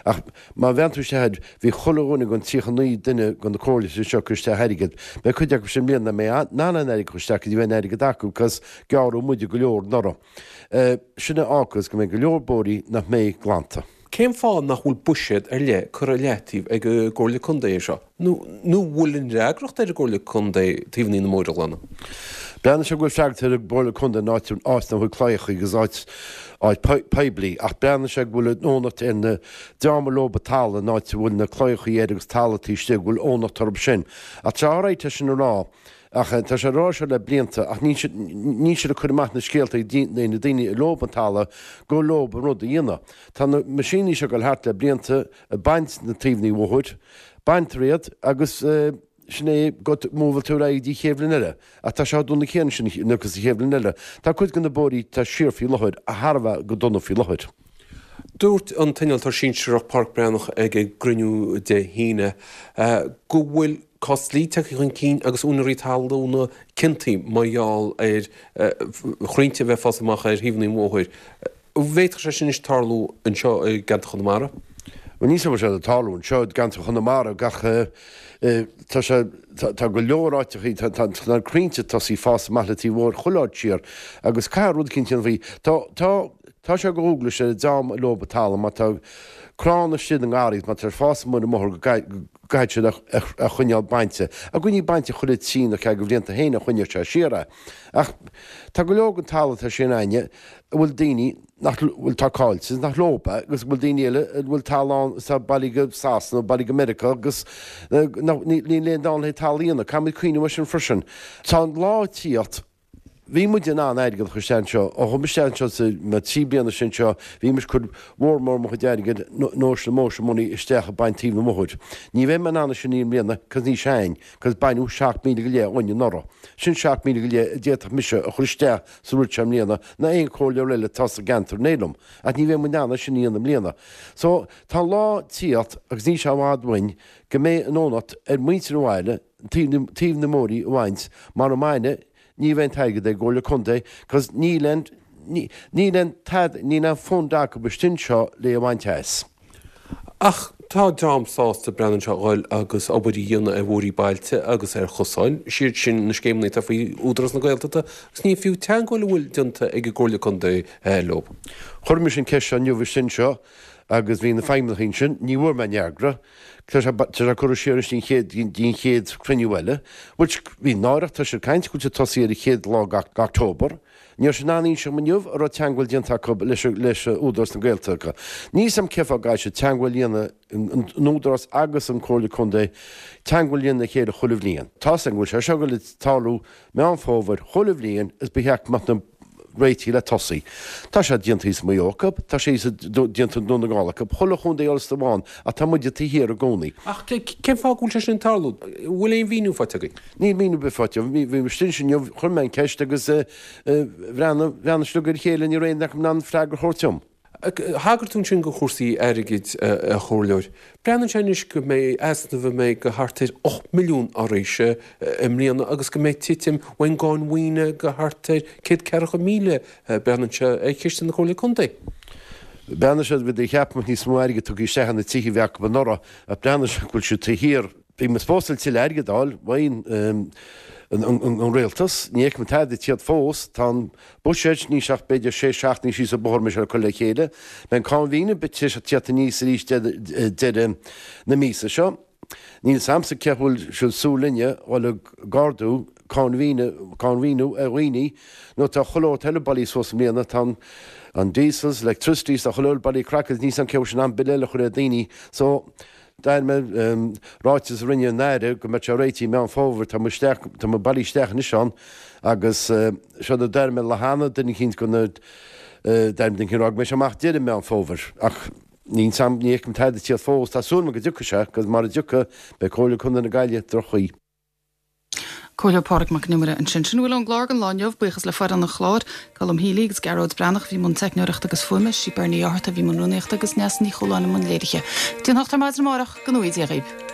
Speaker 13: Ach má bhean tú isteach bhí chuile dhuine den tríocha naoi duine den na comhairle seo cur isteach airgead. Beidh cuid acu sin bliana mé ná an airgead isteach go dtí bheith an airgead acu cos gearradh muide go leor anuraidh. Sin a fhágas go mbeidh go leor bóithrí nach mbeidh glanta.
Speaker 14: Cén fáth nach bhfuil buiséad ar leith curtha i leataobh ag an gComhairle Contae air seo? Nó nó bhfuil an fhreagracht ar an gComhairle Contae taobhanna na mbóithre a ghlanadh?
Speaker 13: Breathnaigh sé go bhfuil freagracht ar an gComhairle Contae in áit áit nach bhfuil claíocha agus áit áit poiblí ach breathnaigh sé go bhfuil an fhónacht ar na dream a lóba talamh in áit a bhfuil na claíocha air agus talamh taobh istigh go bhfuil fhónacht orthu sin. Ach tá alright é sin a rá ach tá sé rá seo le blianta ach níl siad níl siad ag cur amach na scéalta ag na daoine a lób an talamh go lób an rud a dhéanamh. Tá na meaisíní seo ag dul thart le blianta ag baint na taobhanna bóthair, baintear iad agus sin é go múbhal tú ar aghaidh dtí chéad bhliain eile. Ach tá sé dona céanna sin agus sa chéad bhliain eile. Tá cuid de na bóithrí tá siar faoi láthair a thar a bheith go dona faoi láthair.
Speaker 14: Dúirt an t-innealtóir sinsearach Pádraic Breathnach ag an gcruinniú Dé hAoine go bhfuil cás dlí tagtha chun cinn agus úinéirí talún ciontaithe mar gheall ar chrainnte a bheith ag fás amach ar thaobhanna an bhóthair. An bhféadfadh sé sin anois tarlú anseo i gceantar Chonamara?
Speaker 13: Bhuel níl sé ag tarlú anseo i gceantar Chonamara gach tá sé tá go leor áiteachaí tá tá na crainnte tosaí fás amach le taobh bóthair chuile áit siar agus caithfidh rud eicínt a dhéanamh faoi. Tá tá tá sé go dhualgais ar an dream a lób an talamh má tá crann istigh i ngarraí má tá sé ag fás amuigh ar an mbóthar go gcaithfidh siad a choinneáil bainte. A gcoinní bainte chuile trí nó ceathair de bhlianta féin a choinneodh sé siar é. Ach tá go leor den talamh atá sin againne a bhfuil daoine nach bhfuil tá caillte nach leob é agus go bhfuil daoine eile a bhfuil talamh ann atá bailithe go Sasana nó bailithe go Meiriceá agus níl aon dán le talamh a dhéanamh. Caithfimid cuimhneamh air sin freisin. Tá an lá ag tíocht. Bhí muid in ann airgead a chur isteach anseo. Ó chuaigh mé isteach anseo sa na trí bliana sin seo, bhí mise ag cur mhór mór mo chuid airgid, notional motion money, isteach ag baint taobh na mbóthair. Ní bheidh mé in ann é sin i mbliana cos níl sé a'inn, cos baineadh seacht míle go leith uainn anuraidh. Sin seacht míle go leith a d'fhéadfadh mise a chur isteach sa rud seo i mbliana ná aon chomhairleoir eile atá sa gceantar in éineacht liom. Ach ní bheidh muid in ann é sin a dhéanamh i mbliana. So, tá an lá ag tíocht, agus níl sé i bhfad uainn, go mbeidh an fhónacht ar mhuintir an bhaile taobh na mbóithrí a bhaint mara mbaine Ní bheidh an t-airgead ag an gComhairle Contae cos níl aon, níl aon tada, níl aon fund acu istigh anseo le a bhaint as.
Speaker 14: Ach Tá dream sásta breathnaíonn sé a dhul agus obair a dhéanamh ar bhóithrí bailte agus ar chosáin, siad sin na scéimeanna atá faoi Údarás na Gaeltachta agus ní fiú teagmháil a bhfuil déanta ag an gComhairle Contae leo.
Speaker 13: Chuir mise an ceist seo inniu ansin seo agus bhí na feidhmeannaigh ansin, ní bhfuair mé aon fhreagra. Tá sé tá sé curtha siar anois dtí an chéad chruinniú eile, which bhí náireach, tá siad ag caint go bhfuil siad tosaí ar an chéad lá d'October. Ní raibh siad in ann inse dom inniu an raibh teagmháil déanta acu leis leis Údarás na Gaeltachta. Níl 'fhios a'm cén fáth go gcaithfidh siad teagmháil a dhéanamh, an Údarás agus an Comhairle Contae, teagmháil a dhéanamh le chéile chuile bhliain. Tá's a'm go bhfuil sé seo ag dul ag tarlú Meán Fómhair chuile bhliain is ba cheart go mbeadh na réitigh le tosaí. Tá sé déanta thíos i Maigh Eo acu, tá sé déanta i nDún na nGall acu, chuile chontae Ulster amháin ach tá muide taobh thiar i gcónaí.
Speaker 14: Ach cén fáth go bhfuil sé sin ag tarlú? An bhfuil aon mhíniú faighte agaibh?
Speaker 13: Níl míniú ar bith faighte. Bhí mé istigh ansin inniu, chuir mé an ceist agus bhreathnaigh, bhreathnaigh siad ar a chéile, ní raibh aon duine acu in ann freagra a thabhairt dom.
Speaker 14: Thagair tú ansin go chúrsaí airgid, a Chomhairleoir. Breathnaíonn sé anois go mbeidh easnamh a mbeidh go thart ar ocht milliún arís i mbliana agus go mbeidh titim ón gcáin mhaoine go thart ar céad ceathracha míle, breathnaíonn sé, ar chiste na Comhairle Contae.
Speaker 13: Breathnaíonn sé, bhí cheap muid níos mó airgid tugtha isteach ar na tithe a bhí acu anuraidh ach breathnaíonn sé go bhfuil siad taobh thiar. Bhí muid supposed tuilleadh airgid a fháil ón an rialtas. Ní fheicim tada ag tíocht fós. Tá an buiséad níl sé ach b'fhéidir sé seachtainí síos an bóthar mise le cur le chéile. Beidh an cáin mhaoine tar éis tíocht aníos arís deireadh na míosa seo. Níl 'fhios a'msa cé bhfuil siad súil linne dhul ag ardú cáin mhaoine, cáin mhaoiniú ar dhaoine nó tá chuile shórt eile bailithe suas i mbliana. Tá an an diesels, electricities, tá chuile shórt bailithe craiceáilte, níl 'fhios a'm cé bhfuil siad in ann bille eile a chur ar daoine. So, D'airigh mé ráiteas a rinne an Aire go mbeadh sé réitithe i Meán Fómhair, tá muid isteach, tá muid bailithe isteach anois ann agus seo a d'airigh mé lá cheana, duine eicínt go na, d'airigh mé duine eicínt ag rá go mbeidh sé amach deireadh Meán Fómhair ach níl 'fhios a'm, ní fheicim tada ag tíocht fós, tá súil agam go dtiocfaidh sé agus mara dtiocfaidh beidh Comhairle Contae na Gaillimhe droch-chaoi.
Speaker 1: Comhairleoir Pádraig Mac Con Iomaire ansin. Sin a bhfuil ón gclár don lá inniu. Buíochas le foireann an chláir, Colm Healy agus Gearóid Breathnach a bhí i mbun teicneoireachta agus fuaime, sí Bernie Ó hÁrta a bhí i mbun rúnaíochta agus Neasa Ní Chualáin i mbun léirithe. Go dtí an hocht ar maidin amárach, go ngnóthaí Dia dhaoibh.